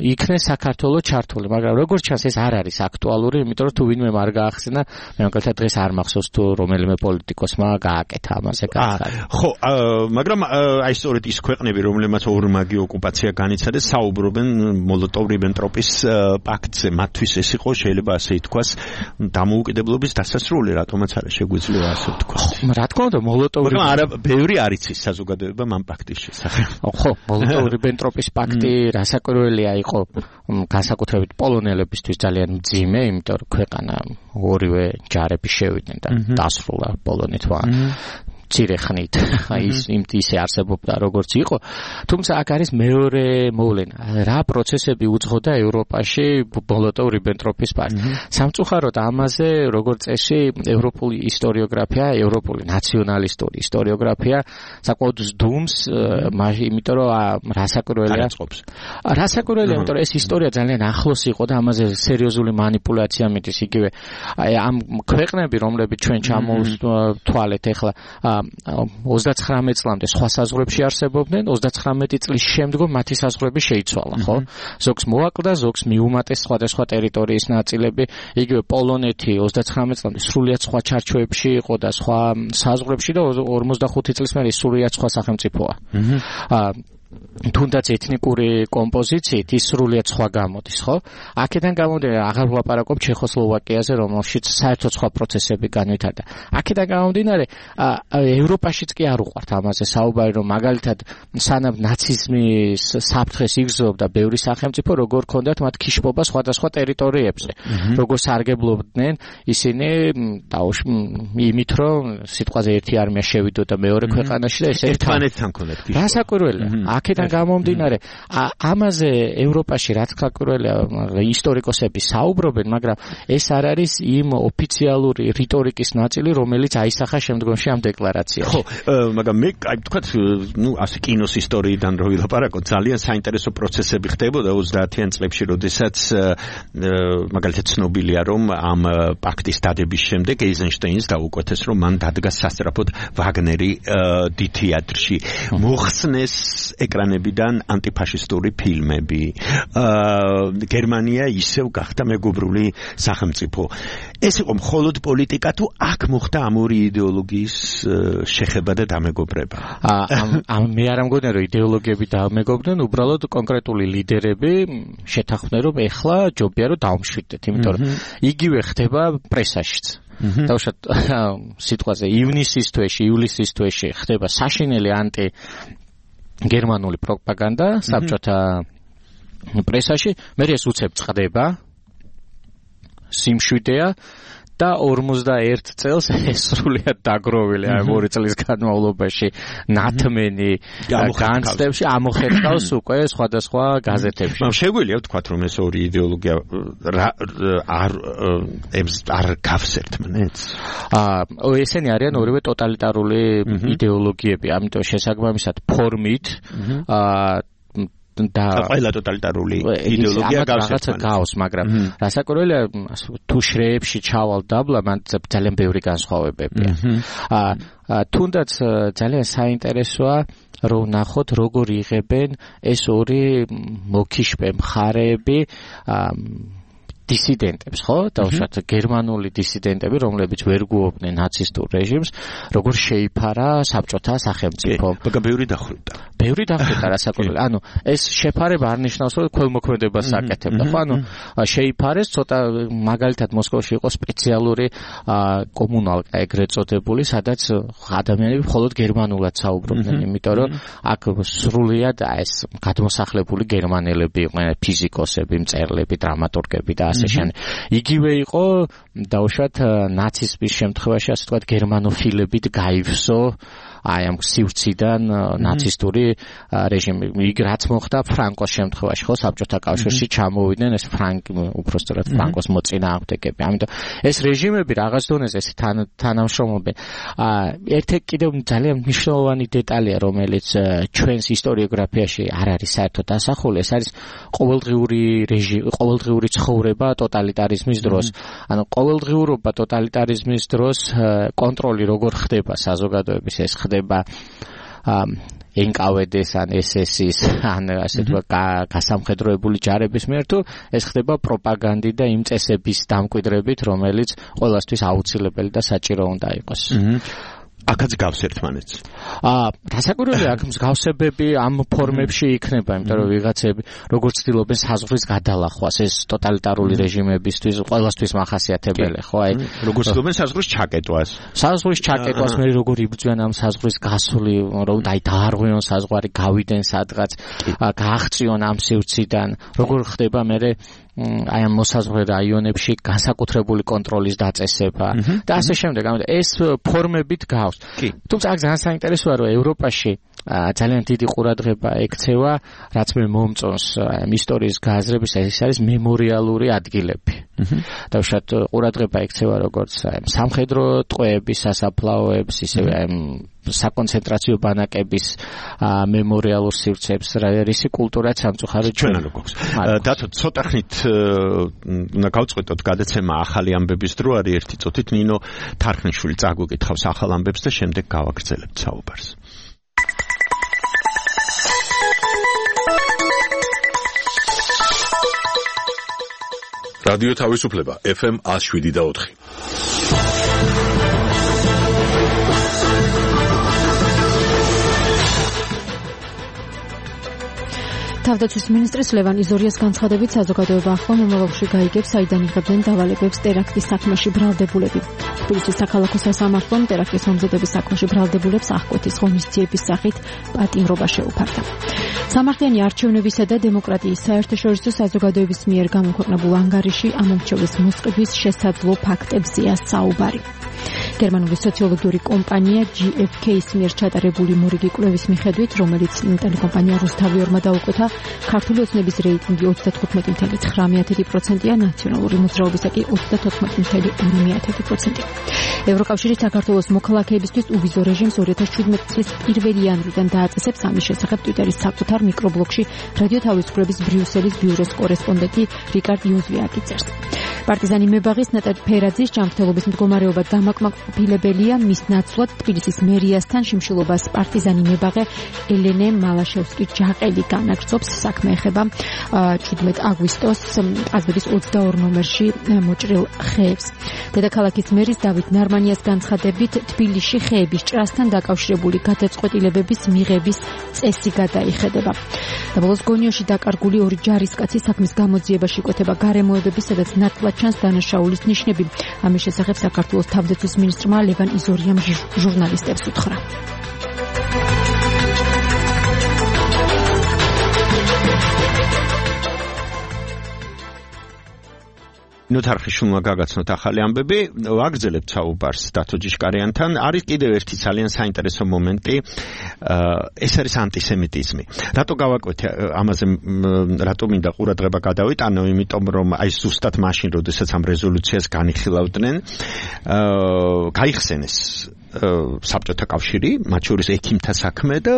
იქნეს საქართველოს ჩართული, მაგრამ როგორც ჩანს ეს არ არის აქტუალური, იმიტომ რომ თუ ვინმე არ გაახსენა, მე მაგალითად დღეს არ მახსოვს თუ რომელიმე პოლიტიკოსმა გააკეთა ამაზე გახსნა. ხო, მაგრამ აი სწორედ ის ქვეყნები, რომლებმაც ორმაგი ოკუპაცია განიცადეს, საუბრობენ მოლოტოვ-რიბენტროპის პაქტზე, მათთვის ეს იყო შეიძლება ასე ითქვას დამოუკიდებლობის დასასრული, რატომაც არა შეგვიძლია ასე ვთქვას. რა თქმა უნდა, მოლოტოვ მაგრამ არა ბევრი არ იცის საზოგადოება ამ პაქტის შესახებ. ხო, მოლოტოვ-რიბენტროპის პაქტი რასაკვირველია იყო განსაკუთრებით პოლონელებისთვის ძალიან მძიმე, იმიტომ რომ ქვეყანა ორივე ჯარები შევიდნენ და დასრულა პოლონეთმა. მცირე ხნით ის იმთისე არსებობდა როგორც იყო, თუმცა აქ არის მეორე მოვლენა, რა პროცესები უძღოდა ევროპაში მოლოტოვ-რიბენტროპის პაქტი. სამწუხაროდ ამაზე როგორც წესი ევროპული ისტორიოგრაფია, ევროპული ნაციონალისტური ისტორიოგრაფია საკმაოდ ზდუმს, იმიტომ რომ რასაკვირველია რასაკვირველია, იმიტომ რომ ეს ისტორია ძალიან ახლოს იყო და ამაზე სერიოზული манипуляცია მიდის, იგივე ამ ქვეყნები, რომლებიც ჩვენ ჩამოვთვალეთ ახლა ოცდაცხრამეტ წლამდე სხვა საზღვრებში არსებობდნენ, ოცდაცხრამეტი წლის შემდგომ მათი საზღვრები შეიცვალა, ხო? ზოგს მოაკლდა, ზოგს მიუმატეს სხვადასხვა ტერიტორიის ნაწილები, იგივე პოლონეთი ოცდაცხრამეტ წლამდე სრულიად სხვა ჩარჩოებში იყო და სხვა საზღვრებში და ორმოცდახუთი წლის მერე სრულიად სხვა სახელმწიფოა. თუნდაც ეთნიკური კომპოზიციით ის სრულიად სხვა გამოდის, ხო? აქედან გამომდინარე, აღარ ვლაპარაკობ ჩეხოსლოვაკიაზე, რომელშიც საერთოდ სხვა პროცესები განვითარდა. აქედან გამომდინარე, ევროპაშიც კი არ უყვართ ამაზე საუბარი, რომ მაგალითად სანამ ნაციზმის საფრთხეს იგრძნობდა ბევრი სახელმწიფო, როგორ ქონდათ მათ ქიშბობა სხვადასხვა ტერიტორიებზე, როგორ სარგებლობდნენ ისინი იმით, რომ სიტყვაზე ერთი არმია შევიდოდა მეორე ქვეყანაში და ესე ერთმანეთთან ქონდათ ქიშბობა. რასაკვირველია. აქ აქედან გამომდინარე, ამაზე ევროპაში რაც ხაკურველია ისტორიკოსები საუბრობენ, მაგრამ ეს არ არის იმ ოფიციალური რიტორიკის ნაწილი, რომელიც აისახა შემდგომში ამ დეკლარაციაში. ხო, მაგრამ მე აი თქვათ, ნუ ასე კინოს ისტორიიდან რო ვილაპარაკოთ, ძალიან საინტერესო პროცესები ხდებოდა ოცდაათიან წლებში, როდესაც მაგალითად ცნობილია, რომ ამ პაქტის დადების შემდეგ ეიზენშტეინს დაუკვეთეს, რომ მან დადგა სასწრაფოდ ვაგნერი დი თეატრში. მოხსნეს ეკრანებიდან ანტიფაშისტური ფილმები. გერმანია ისევ გახდა მეგობრული სახელმწიფო. ეს იყო მხოლოდ პოლიტიკა თუ აქ მოხდა ამ ორი იდეოლოგიის შეხება და დამეგობრება? ამ მე არ მგონია რომ იდეოლოგიები დამეგობრდნენ, უბრალოდ კონკრეტული ლიდერები შეთანხმდნენ რომ ეხლა ჯობია რომ დავმშვიდეთ, იმიტომ რომ იგივე ხდება პრესაშიც. დავუშვათ სიტყვაზე ივნისის თვეში, ივლისის თვეში ხდება საშინელი ანტი გერმანული პროპაგანდა საბჭოთა პრესაში, მე ეს უცებ წყდება, სიმშვიდეა და ორმოცდაერთ წელს ეს სრულიად დაგროვილი, აი ორი წლის განმავლობაში ნათმენი განცდებში ამოხერხავს უკვე სხვადასხვა გაზეთებში. მაგრამ შეგვიძლია ვთქვათ, რომ ეს ორი იდეოლოგია არ არ გავს ერთმანეთს? აა ესენი არიან ორივე ტოტალიტარული იდეოლოგიები, ამიტომ შესაბამისად ფორმით აა და ყველა ტოტალიტარული იდეოლოგია გავს ერთმანეთს. გავს, მაგრამ რასაკვირველია, თუ შრეებში ჩავალ დაბლა, მან ძალიან ბევრი განსხვავებებია. აა თუნდაც ძალიან საინტერესოა რომ ნახოთ როგორ იღებენ ეს ორი მოკიშპე მხარეები დისიდენტებს, ხო? დავუშვათ გერმანული დისიდენტები, რომლებიც ვერ გუობდნენ ნაცისტურ რეჟიმს, როგორ შეიფარა საბჭოთა სახელმწიფო. მაგრამ ბევრი დახვრიტა. ბევრი დახვრიტა რასაკვირველია. ანუ ეს შეფარება არ ნიშნავს, რომ ქველმოქმედებას აკეთებდა, ხო? ანუ შეიფარეს, ცოტა მაგალითად მოსკოვში იყო სპეციალური კომუნალკა ეგრეთ წოდებული, სადაც ადამიანები მხოლოდ გერმანულად საუბრობდნენ, იმიტომ რომ აქ სრულიად ეს გადმოსახლებული გერმანელები იყვნენ, ფიზიკოსები, მწერლები, დრამატურგები და ასეშენ. იგივე იყო დავუშვათ ნაციზმის შემთხვევაში, ასე ვთქვათ, გერმანოფილებით გაივსო აი ამ სივრციდან ნაცისტური რეჟიმი. იქ რაც მოხდა ფრანკოს შემთხვევაში, ხო, საბჭოთა კავშირში ჩამოვიდნენ ეს ფრანკი, უბრალოდ ფრანკოს მოწინააღმდეგეები. ამიტომ ეს რეჟიმები რაღაც დონეზე ეს თანამშრომლობენ. ერთ კიდევ ძალიან მნიშვნელოვანი დეტალია, რომელიც ჩვენს ისტორიოგრაფიაში არ არის საერთოდ დასახული, ეს არის ყოველდღიური რეჟიმი, ყოველდღიური ცხოვრება ტოტალიტარიზმის დროს. ანუ ყოველდღიურობა ტოტალიტარიზმის დროს კონტროლი როგორ ხდება საზოგადოების, ეს ხდება ენ კა ვე დე-ს ან ეს ეს-ის ან ასე თქვა გასამხედროებული ჯარების მიერ, თუ ეს ხდება პროპაგანდით და იმ წესების დამკვიდრებით, რომელიც ყველასთვის აუცილებელი და საჭირო უნდა იყოს. აქაც გავს ერთმანეთს. აა, რასაკვირველია, აქ მსგავსებები ამ ფორმებში იქნება, იმიტომ რომ ვიღაცები როგორც ცდილობენ საზღვრის გადალახვას, ეს ტოტალიტარული რეჟიმებისთვის ყველასთვის მახასიათებელი, ხო? აი, როგორც ცდილობენ საზღვრის ჩაკეტვას. საზღვრის ჩაკეტვას, მე როგორ იბრძვიან ამ საზღვრის გასული, რომ აი დაარღვიონ საზღვარი, გავიდენ სადღაც, გააღწიონ ამ სივრციდან, როგორ ხდება მე აი ამ მოსაზღვრე რაიონებში განსაკუთრებული კონტროლის დაწესება და ასე შემდეგ. ეს ფორმებით გავს. თუმცა აქ ძალიან საინტერესოა, რომ ევროპაში ძალიან დიდი ყურადღება ექცევა, რაც მე მომწონს ისტორიის გააზრების, ეს არის მემორიალური ადგილები. დავუშვათ ყურადღება ექცევა როგორც სამხედრო ტყვეების, სასაფლაოების, ისევე საკონცენტრაციო ბანაკების მემორიალურ სივრცეებს, რისი კულტურაც სამწუხაროდ ჩვენ არ გვაქვს. დათო ცოტა ხნით უნდა გავწყვეტოთ გადაცემა ახალი ამბების დრო არის ერთი წუთით. ნინო თარხნიშვილი წაგვიკითხავს ახალ ამბებს და შემდეგ გავაგრძელებთ საუბარს. რადიო თავისუფლება ეფ ემ ნული შვიდი და ოთხი. თავდაცვის მინისტრის ლევან იზორიას განცხადებით, საზოგადოება ახლა მომავალში გაიგებს, საიდან იღებდნენ დავალებებს ტერაქტის საქმეში ბრალდებულები. თბილისის საქალაქო სასამართლომ ტერაქტის მომზადების საქმეში ბრალდებულებს აღკვეთის ღონისძიების სახით პატიმრობა შეუფარდა. სამართლიანი არჩევნებისა და დემოკრატიის საერთაშორისო საზოგადოების მიერ გამოქვეყნებულ ანგარიში ამ არჩევნების მოსყიდვის შესაძლო ფაქტებზეა საუბარი. გერმანული სოციოლოგიური კომპანია G F K-ის მიერ ჩატარებული მორიგი კვლევის მიხედვით, რომელიც ტელეკომპანია რუსთავიორმა დაუკვეთა, ქართული ოცნების რეიტინგი ოცდათხუთმეტი ფاصლე ცხრამეტი პროცენტია, ნაციონალური მოძრაობისა კი ოცდათოთხმეტი ფاصლე ორი პროცენტი. ევროკავშირი საქართველოს მოქალაქეებისთვის უვიზო რეჟიმს ორი ათას შვიდმეტი წლის პირველი იანვრიდან დააწესებს. ამის შესახებ ტვიტერის საკუთარ მიკრობლოგში რადიო თავისუფლების ბრიუსელის ბიუროს კორესპონდენტი რიკარდ იუზვიაკი წერს. პარტიზანი მებაღის ნატალ ფერაძის ჯანმრთელობის მდგომარეობა დამაკმაყოფილებელია. მის ნაცვლად თბილისის მერიასთან შიმშილობას პარტიზანი მებაღე ელენე მალაშევსკი ჯაყელი განაგრძობს. საქმე ეხება შვიდმეტი აგვისტოს ყაზბეგის ოცდაორი ნომერში მოჭრილ ხეებს. დედაქალაქის მერის დავით ნარმანიას განცხადებით, თბილისში ხეების ჭრასთან დაკავშირებული გადაწყვეტილებების მიღების წესი გადაიხედება. და ბოლოს გონიოში დაკარგული ორი ჯარისკაცი საქმის გამოძიებაში იკვეთება გარემოებები, სადაც ნათლად ჩანს დანაშაულის ნიშნები. ამის შესახებ საქართველოს თავდაცვის მინისტრმა ლევან იზორიამ ჟურნალისტებს უთხრა. ნუ თარხიშულმა გაგაცნოთ ახალი ამბები, ვაგრძელებთ საუბარს დათო ჯიშკარიანთან. არის კიდევ ერთი ძალიან საინტერესო მომენტი, ეს არის ანტისემიტიზმი. რატო გავაკვეთე ამაზე, რატო მინდა ყურადღება გადავიტანო, იმიტომ რომ აი ზუსტად მაშინ, როდესაც ამ რეზოლუციას განიხილავდნენ, გაიხსენეს საბჭოთა კავშირი, მათ შორის ექიმთა საქმე და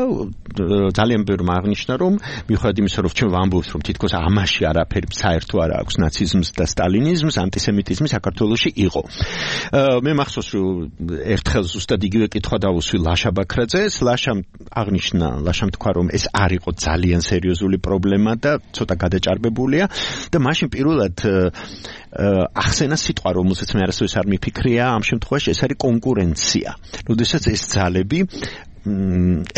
ძალიან ბევრმა აღნიშნა, რომ მიუხედავად იმისა, რომ ჩვენ ვამბობთ, რომ თითქოს ამაში არაფერი საერთო არ აქვს ნაციზმს და სტალინიზმს, ანტისემიტიზმი საქართველოში იყო. მე მახსოვს, რომ ერთხელ ზუსტად იგივე კითხვა დავუსვი ლაშა ბაქრაძეს, ლაშამ აღნიშნა, ლაშამ თქვა, რომ ეს არ იყო ძალიან სერიოზული პრობლემა და ცოტა გადაჭარბებულია და მაშინ პირველად ახსენა სიტყვა, რომელსაც მე არასდროს არ მიფიქრია ამ შემთხვევაში, ეს არის კონკურენცია. როდესაც ეს ძალები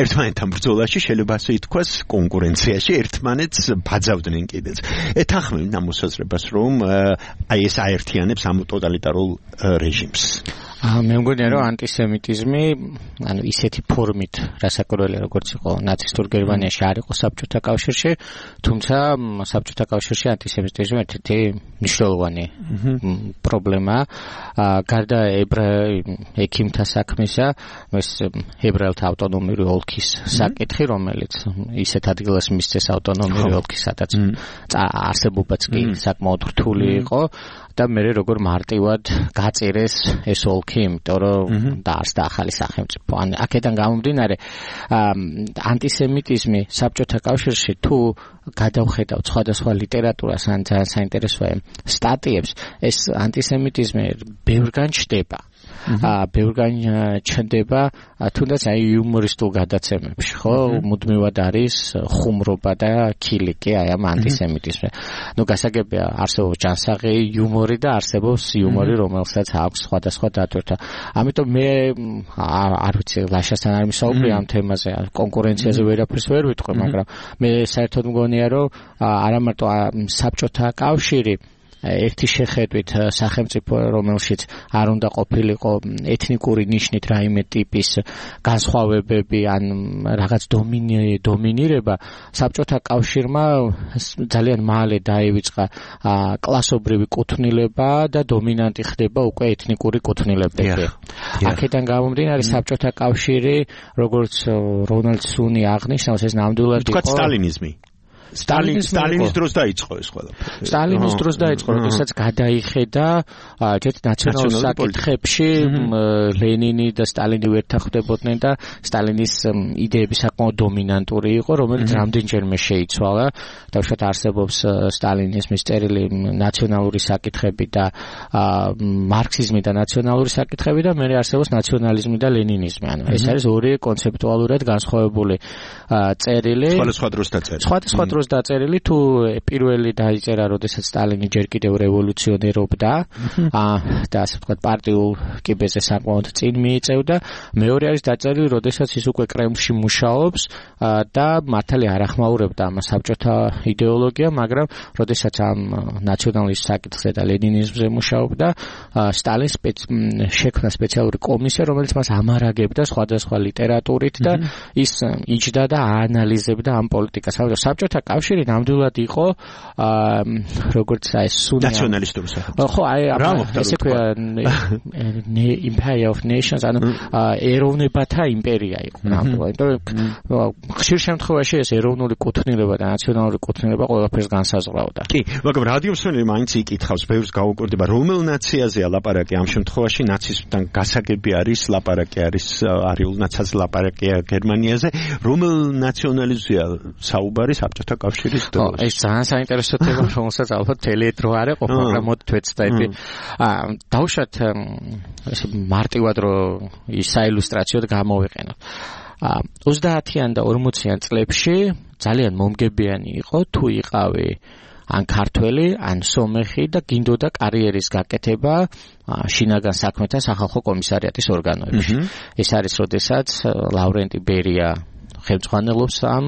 ერთმანეთთან ბრძოლაში შეიძლება ასე ითქვას კონკურენციაში ერთმანეთს ბაძავდნენ კიდეც. ეთანხმებინ ამ მოსაზრებას, რომ აი ეს აერთიანებს ამ ტოტალიტარულ რეჟიმს. მე მგონია, რომ ანტისემიტიზმი, ანუ ისეთი ფორმით, რასაკვირველია, როგორც იყო ნაცისტურ გერმანიაში, არ იყო საბჭოთა კავშირში, თუმცა საბჭოთა კავშირში ანტისემიტიზმი ერთ-ერთი მნიშვნელოვანი პრობლემაა. გარდა ექიმთა საქმისა, ეს ებრაელთა ავტონომიური ოლქის საკითხი, რომელიც ისეთ ადგილას მისცეს ავტონომიური ოლქი, სადაც არსებობაც კი საკმაოდ რთული იყო. და მე როგორ მარტივად გაწერეს ეს ოლქი, იმიტომ რომ დაარსდა ახალი სახელმწიფო. ან აქედან გამომდინარე, ანტისემიტიზმი საბჭოთა კავშირში თუ გადავხედავთ სხვადასხვა ლიტერატურას ან ძალიან საინტერესოა სტატიებს, ეს ანტისემიტიზმი ბევრგან ჩდება. აა ბევრგან ჩნდება, თუნდაც აი იუმორისტულ გადაცემებში, ხო, მუდმივად არის ხუმრობა და ქილიკი აი ამ ანტისემიტიზმზე. ნუ გასაგებია, არსებობს ჯანსაღი იუმორი და არსებობს იუმორი, რომელსაც აქვს სხვადასხვა დატვირთვა. ამიტომ მე არ ვიცი, ლაშასთან არ მისაუბრე ამ თემაზე, კონკურენციაზე ვერაფერს ვერ ვიტყვი, მაგრამ მე საერთოდ მგონია, რომ არა მარტო საბჭოთა კავშირი ერთი შეხედვით სახელმწიფო, რომელშიც არ უნდა ყოფილიყო ეთნიკური ნიშნით რაიმე ტიპის განსხვავებები ან რაღაც დომინირება, საბჭოთა კავშირმა ძალიან მალე დაივიწყა კლასობრივი კუთვნილება და დომინანტი ხდება უკვე ეთნიკური კუთვნილებები. აქედან გამომდინარე, საბჭოთა კავშირი, როგორც რონალდ სუნი აღნიშნავს, ეს ნამდვილად იყო სტალინიზმი. სტალინის სტალინის დროს დაიწყო ეს ყველაფერი. სტალინის დროს დაიწყო, როდესაც გადაიხედა ჯერ ნაციონალურ საკითხებში ლენინი და სტალინი ვერთახდებოდნენ და სტალინის იდეები საკმაოდ დომინანტური იყო, რომელიც რამდენჯერმე შეიცვალა. თავშოთ არსებობს სტალინიზმის წერილი ნაციონალური საკითხები და მარქსიზმი და ნაციონალური საკითხები და მეორე არსებობს ნაციონალიზმი და ლენინიზმი. ანუ ეს არის ორი კონცეპტუალურად განსხვავებული წერილი. სხვადასხვა დროს დაწერილი. სხვადასხვა დროს დაწერილი, თუ პირველი დაიწერა, როდესაც სტალინი ჯერ კიდევ რევოლუციონერობდა და ასე ვთქვათ პარტიულ კიბეზე საკმაოდ წინ მიიწევდა. მეორე არის დაწერილი, როდესაც ის უკვე კრემლში მუშაობს და მართალი არ ახმაურებდა ამ საბჭოთა იდეოლოგია, მაგრამ როდესაც ამ ნაციონალიზმის საკითხზე და ლენინიზმზე მუშაობდა, სტალინს შექმნა სპეციალური კომისია, რომელიც მას ამარაგებდა სხვადასხვა ლიტერატურით და ის იჯდა და აანალიზებდა ამ პოლიტიკას. საბჭოთა კავშირი ნამდვილად იყო როგორც აი სუნი ნაციონალისტური სახელმწიფო. ხო, აი ესე ქვია Empire of Nations, ანუ ეროვნებათა იმპერია იყო ნამდვილად. იმიტომ ხშირ შემთხვევაში ეს ეროვნული კუთვნილება და ნაციონალური კუთვნილება ყველაფერს განსაზღვრავდა. კი, მაგრამ რადიომსმენელი მაინც იკითხავს, ბევრს გაუკვირდება, რომელ ნაციაზეა ლაპარაკი ამ შემთხვევაში, ნაციზმთან გასაგები არის, ლაპარაკი არის არიულ ნაცაზ ლაპარაკია გერმანიაზე, რომელ ნაციონალიზმია საუბარი საბჭოთა კავშირის დროს? ეს ძალიან საინტერესო თემა, რომელსაც ალბათ თელედრო არ ეყოფ, მაგრამ მოდ თვეცდები. აა დავუშვათ ეს მარტივად რომ ის საილუსტრაციოდ გამოვიყენოთ. აა ოცდაათიან და ორმოციან წლებში ძალიან მომგებიანი იყო თუ იყავი ან ქართველი, ან სომეხი და გინდოდა კარიერის გაკეთება შინაგან საქმეთა სახალხო კომისარიატის ორგანოებში. ეს არის როდესაც ლავრენტი ბერია ხელმძღვანელობს ამ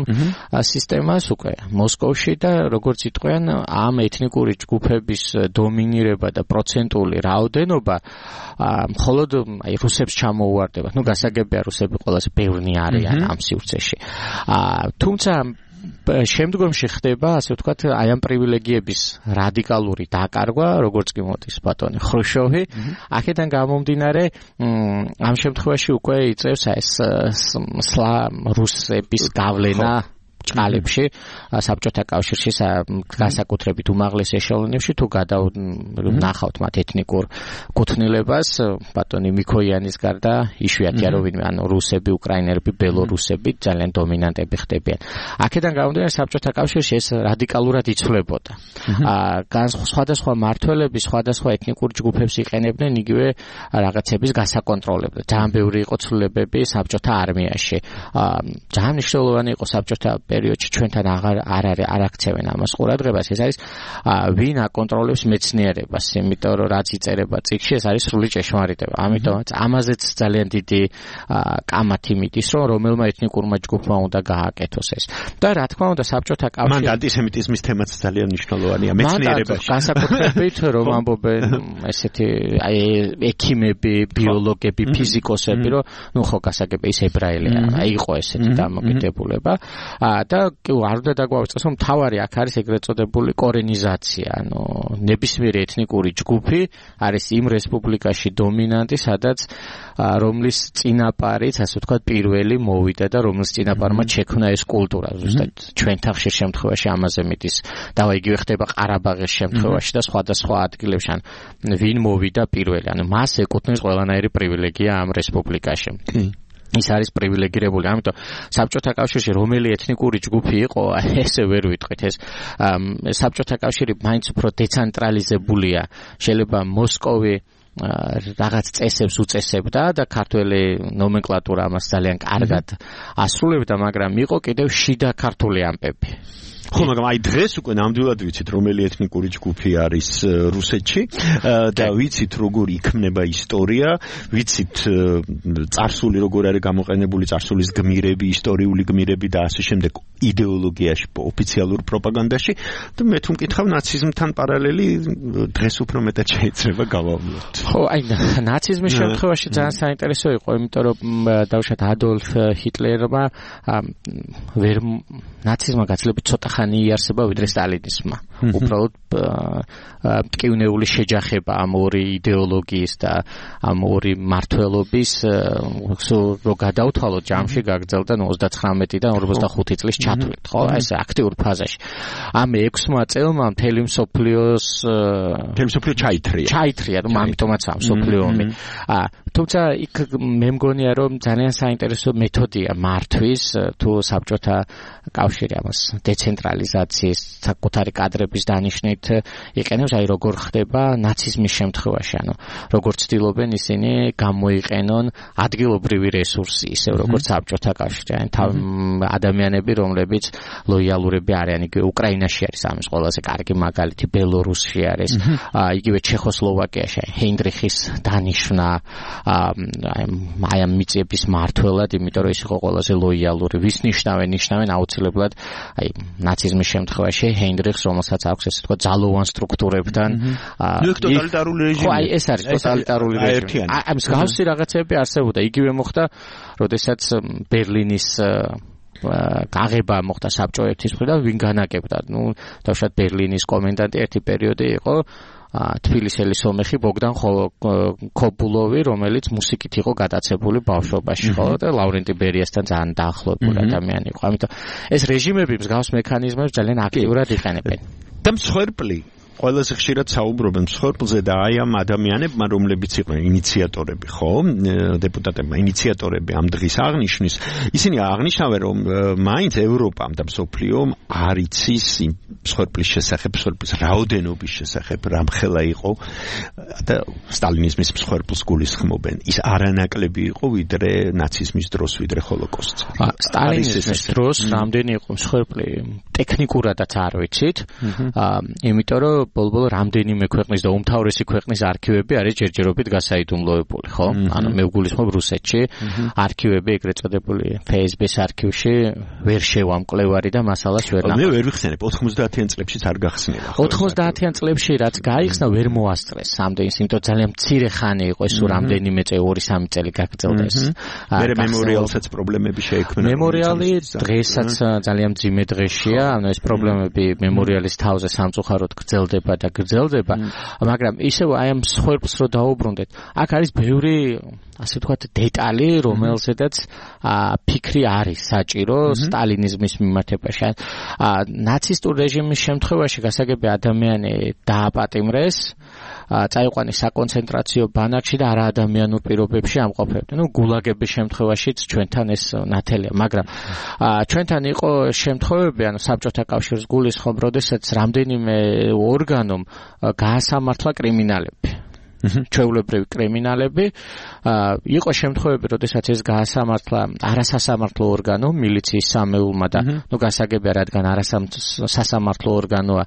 სისტემას უკვე მოსკოვში და როგორც იტყვიან ამ ეთნიკური ჯგუფების დომინირება და პროცენტული რაოდენობა მხოლოდ აი რუსებს ჩამოუვარდება. ნუ გასაგებია რუსები ყველაზე ბევრნი არიან ამ სივრცეში. თუმცა შემდგომში ხდება, ასე ვთქვათ, აი ამ პრივილეგიების რადიკალური დაკარგვა, როგორც კი მოდის ბატონი ხრუშოვი, აქედან გამომდინარე, ამ შემთხვევაში უკვე იწევს ეს სლა რუსების გავლენა ჭყალებში, საბჭოთა კავშირში განსაკუთრებით უმაღლეს ეშელონებში თუ გადავნახავთ მათ ეთნიკურ კუთვნილებას, ბატონი მიქოიანის გარდა იშვიათია რომ ვინმე, ანუ რუსები, უკრაინელები, ბელორუსები ძალიან დომინანტები ხდებიან. აქედან გამომდინარე საბჭოთა კავშირში ეს რადიკალურად იცვლებოდა. სხვადასხვა მმართველები სხვადასხვა ეთნიკურ ჯგუფებს იყენებდნენ იგივე რაღაცების გასაკონტროლებლად. ძალიან ბევრი იყო ცვლილებები საბჭოთა არმიაში. ძალიან მნიშვნელოვანი იყო საბჭოთა პერიოდში ჩვენთან აღარ არ არის არ აქცევენ ამას ყურადღებას. ეს არის ვინ აკონტროლებს მეცნიერებას, იმიტომ რომ რაც იწერება წიგნში ეს არის სრული ჭეშმარიტება. ამიტომაც ამაზეც ძალიან დიდი კამათი მიდის, რომ რომელმა ეთნიკურმა ჯგუფმა უნდა გააკეთოს ეს. და რა თქმა უნდა საბჭოთა კავშირი მანდ ანტისემიტიზმის თემაც ძალიან მნიშვნელოვანია მეცნიერებაში. განსაკუთრებით რომ ამბობენ ესეთი აი ექიმები, ბიოლოგები, ფიზიკოსები, რომ ნუ ხო გასაგებია ის ებრაელია, აი იყო ესეთი დამოკიდებულება. და არ უნდა დაგვაუწყოს რომ მთავარი აქ არის ეგრეთ წოდებული კორენიზაცია, ანუ ნებისმიერი ეთნიკური ჯგუფი არის იმ რესპუბლიკაში დომინანტი, სადაც რომლის წინაპარიც, ასე ვთქვათ, პირველი მოვიდა და რომლის წინაპარმა შექმნა ეს კულტურა. ზუსტად ჩვენთან ხშირ შემთხვევაში ამაზე მიდის. დავა იგივე ხდება ყარაბაღის შემთხვევაში და სხვადასხვა ადგილებში, ან ვინ მოვიდა პირველი, ანუ მას ეკუთვნის ყველანაირი პრივილეგია ამ რესპუბლიკაში. ის არის პრივილეგირებული, ამიტომ საბჭოთა კავშირში რომელი ეთნიკური ჯგუფი იყო, ესე ვერ ვიტყვით. ეს საბჭოთა კავშირი მაინც უფრო დეცენტრალიზებულია. შეიძლება მოსკოვი რაღაც წესებს უწესებდა და ქართველი ნომენკლატურა ამას ძალიან კარგად ასრულებდა, მაგრამ იყო კიდევ შიდა ქართული ამბები. ხო, მაგრამ აი დღეს უკვე ნამდვილად ვიცით რომელი ეთნიკური ჯგუფი არის რუსეთში და ვიცით როგორ იქმნება ისტორია, ვიცით წარსული როგორ არის გამოყენებული, წარსულის გმირები, ისტორიული გმირები და ასე შემდეგ იდეოლოგიაში, ოფიციალურ პროპაგანდაში და მე თუ მკითხავ ნაციზმთან პარალელი დღეს უფრო მეტად შეიძლება გავავლოთ. ხო, აი ნაციზმის შემთხვევაში ძალიან საინტერესო იყო, იმიტომ რომ დავუშვათ ადოლფ ჰიტლერმა ვერ ნაციზმმა გაცილებით ცოტა ხანი იარსება ვიდრე სტალინიზმმა. უბრალოდ მტკივნეული შეჯახება ამ ორი იდეოლოგიის და ამ ორი მმართველობის რო გადავთვალოთ ჯამში გაგრძელდა ოცდათხრამეტიდან ორმოცდახუთი წლის ჩათვლით, ხო? ეს აქტიურ ფაზაში. ამ ექვსმა წელმა მთელი მსოფლიოს მთელი მსოფლიო ჩაითრია. ჩაითრია, რომ ამიტომაც ამ მსოფლიომი. თუმცა იქ მე მგონია რომ ძალიან საინტერესო მეთოდია მართვის თუ საბჭოთა კავშირი ამას დეცენტრალიზაციის საკუთარი კადრების დანიშნით იყენებს, აი როგორ ხდება ნაციზმის შემთხვევაში, ანუ როგორ ცდილობენ ისინი გამოიყენონ ადგილობრივი რესურსი, ისევ როგორც საბჭოთა კავშირი, ან ადამიანები, რომლებიც ლოიალურები არიან, იგივე უკრაინაში არის ამის ყველაზე კარგი მაგალითი, ბელორუსში არის, იგივე ჩეხოსლოვაკიაში ჰეინდრიხის დანიშვნა აი ამ მიწების მმართველად, იმიტომ რომ ის იყო ყველაზე ლოიალური, ვის ნიშნავენ, ნიშნავენ აუცილებლად აი ნაციზმის შემთხვევაში ჰეინდრიხს, რომელსაც აქვს ესე თქვა ძალოვან სტრუქტურებთან. ნუ ტოტალიტარული რეჟიმი. ხო, აი ეს არის ტოტალიტარული რეჟიმი. აი მსგავსი რაღაცები არსებობდა. იგივე მოხდა, როდესაც ბერლინის გაღება მოხდა საბჭოეთის მხრიდან, ვინ განაგებდა. ნუ თავშად ბერლინის კომენდანტი ერთი პერიოდი იყო თბილისელი სომეხი ბოგდან ქობულოვი, რომელიც მუსიკით იყო გადაცებული ბავშვობაში, ხო და ლავრენტი ბერიასთან ძალიან დაახლოებული ადამიანი იყო. ამიტომ ეს რეჟიმები მსგავს მექანიზმებს ძალიან აქტიურად იყენებენ. და მსხვერპლი ყველაზე ხშირად საუბრობენ მსხვერპლზე და აი ამ ადამიანებმა, რომლებიც იყვნენ ინიციატორები, ხო? დეპუტატებმა ინიციატორები ამ დღის აღნიშვნის, ისინი აღნიშნავენ, რომ მაინც ევროპამ და მსოფლიომ არ იცის მსხვერპლის შესახებ, მსხვერპლის რაოდენობის შესახებ, რამხელა იყო და სტალინიზმის მსხვერპლს გულისხმობენ. ის არანაკლები იყო, ვიდრე ნაციზმის დროს, ვიდრე ჰოლოკოსტს. სტალინიზმის დროს რამდენი იყო მსხვერპლი, ტექნიკურადაც არ ვიცით, იმიტომ რომ ბოლბოლ რამდენიმე ქვეყნის და უმთავრესი ქვეყნის არქივები არის ჯერჯერობით გასაიდუმლოებული, ხო? ანუ მე ვგულისხმობ რუსეთში არქივები ეგრეთ წოდებული ეფ ეს ბის არქივში ვერ შევამკვლევარი და მასალას ვერ ნახავ. მე ვერ ვიხსენებ ოცდაათიან წლებშიც არ გახსნილა. ოცდაათიან წლებში რაც გაიხსნა ვერ მოასწრეს სამდენს, იმიტომ ძალიან მცირე ხანი იყო ეს რამდენიმე წელი ორი სამი წელი გაგრძელდა ეს. მე მემორიალსაც პრობლემები შეექმნა. მემორიალი დღესაც ძალიან მძიმე დღეშია, ანუ ეს პრობლემები მემორიალის თავზე სამწუხაროდ გრძელდება და გრძელდება, მაგრამ ისევ აი ამ მსხვერპლს რო დაუბრუნდეთ, აქ არის ბევრი ასე ვთქვათ დეტალი, რომელზედაც ფიქრი არის საჭირო სტალინიზმის მიმართებაში. ნაცისტურ რეჟიმის შემთხვევაში გასაგები ადამიანი დააპატიმრეს, წაიყვანეს საკონცენტრაციო ბანაკში და არა ადამიანურ პირობებში ამყოფებდნენ. ნუ გულაგების შემთხვევაშიც ჩვენთან ეს ნათელია, მაგრამ ჩვენთან იყო შემთხვევები, ანუ საბჭოთა კავშირს გულისხმობ, როდესაც რამდენიმე ორგანომ გაასამართლა კრიმინალები. ჩვეულებრივი კრიმინალები, იყო შემთხვევები, როდესაც ეს გაასამართლა არასასამართლო ორგანო, მილიციის სამეულმა და ნუ გასაგებია, რადგან არასასამართლო ორგანოა,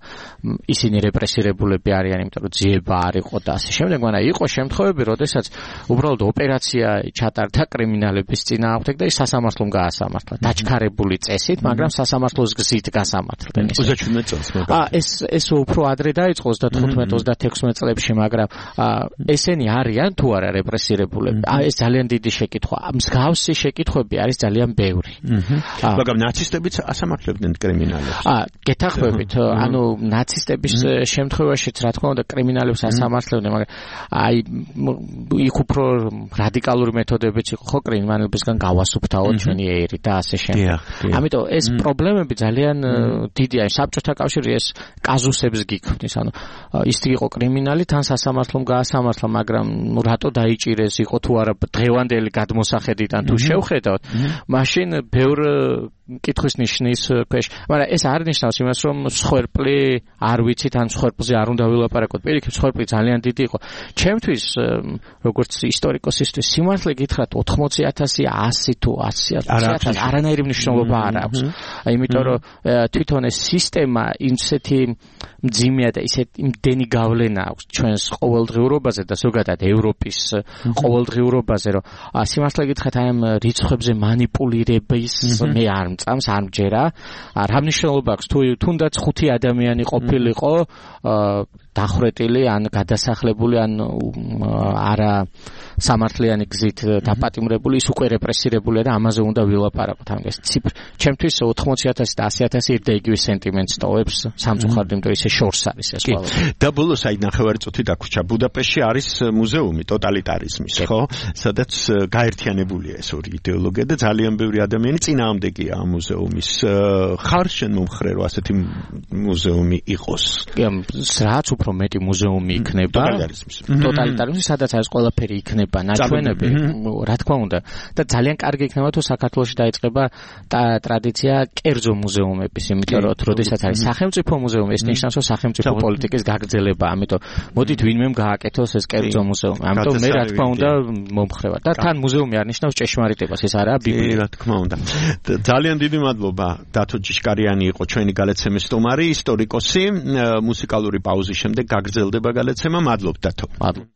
ისინი რეპრესირებულები არიან, იმიტომ რომ ძიება არ იყო და ასე შემდეგ, მაგრამ იყო შემთხვევები, როდესაც უბრალოდ ოპერაცია ჩატარდა კრიმინალების წინააღმდეგ და ის სასამართლომ გაასამართლა, დაჩქარებული წესით, მაგრამ სასამართლოს გზით გასამართლდნენ. ოცდაშვიდმეტ წელს, მაგრამ ეს ეს უფრო ადრე დაიწყო ოცდათოთხმეტ ოცდათექვსმეტ წლებში, მაგრამ ესენი არიან თუ არა რეპრესირებულები. ეს ძალიან დიდი შეკითხვა. მსგავსი შეკითხვები არის ძალიან ბევრი. მაგრამ ნაცისტებიც ასამართლებდნენ კრიმინალებს. აა, გეთახმებით, ანუ ნაცისტების შემთხვევაშიც რა თქმა უნდა კრიმინალებს ასამართლებდნენ, მაგრამ აი იქ უფრო რადიკალური მეთოდებიც იყო, ხო, კრიმინალებისგან გავასუფთავოთ ჩვენი ერი და ასე შემდეგ. ამიტომ ეს პრობლემები ძალიან დიდია. საბჭოთა კავშირი ეს კაზუსებს გიქმნის, ანუ ის იყო კრიმინალი, თან სასამართლომ გაასამართლა, მაგრამ რატო დაიჭირეს, იყო თუ არა დღევანდელი გადმოსახედიდან თუ შევხედავთ, მაშინ ბევრ კითხვის ნიშნის ქვეშ, მაგრამ ეს არ ნიშნავს იმას, რომ მსხვერპლი არ ვიცით, ან მსხვერპლზე არ უნდა ვილაპარაკოთ. პირიქით, მსხვერპლი ძალიან დიდი იყო. ჩემთვის, როგორც ისტორიკოსისთვის, სიმართლე გითხრათ, ოთხმოცი ათასი, ასი თუ ათი ათასი არანაირი მნიშვნელობა არ აქვს. იმიტომ რომ თვითონ ეს სისტემა ისეთი მძიმეა და ისეთი იმდენი გავლენა აქვს ჩვენს ყოველდღიურობაზე და ზოგადად ევროპის ყოველდღიურობაზე, რომ სიმართლე გითხრათ, აი ამ რიცხვებზე მანიპულირების მე არ მწამს, არ მჯერა. რა მნიშვნელობა აქვს თუ თუნდაც ხუთი ადამიანი ყოფილიყო დახვრეტილი ან გადასახლებული ან არა სამართლიანი გზით დაპატიმრებული, ის უკვე რეპრესირებულია და ამაზე უნდა ვილაპარაკოთ. ამას ციფრ ჩემთვის ოთხმოცი ათასი და ასი ათასი ერთ და იგივე სენტიმენტს ტოვებს სამწუხაროდ, იმიტომ ისე შორს არის ეს ყველა. და ბოლოს აი ნახევარი წუთი დაგვრჩა. ბუდაპეშტში არის მუზეუმი ტოტალიტარიზმის, ხო? სადაც გაერთიანებულია ეს ორი იდეოლოგია და ძალიან ბევრი ადამიანი წინააღმდეგია ამ მუზეუმის. ხარ შენ მომხრე რომ ასეთი მუზეუმი იყოს? რაც უფრო მეტი მუზეუმი იქნება ტოტალიტარიზმის, სადაც არის ყველაფერი იქნება ნაჩვენები, რა თქმა უნდა, და ძალიან კარგი იქნება თუ საქართველოში დაიწყება ტრადიცია კერძო მუზეუმების, იმიტომ რომ როდესაც არის სახელმწიფო მუზეუმი, ეს ნიშნავს რომ სახელმწიფო პოლიტიკის გაგრძელება, ამიტომ მოდით ვინმემ გააკეთოს ეს კერძო მუზეუმი. ამიტომ მე რა თქმა უნდა მომხრევარ. და თან მუზეუმი არ ნიშნავს ჭეშმარიტებას, ეს არაა ბიბლია. რა თქმა უნდა. ძალიან დიდი მადლობა. დათო ჯიშკარიანი იყო ჩვენი გალეცემის სტუმარი, ისტორიკოსი. მუსიკალური პაუზის შემდეგ გაგრძელდება გალეცემა. მადლობთ დათო. მადლობა.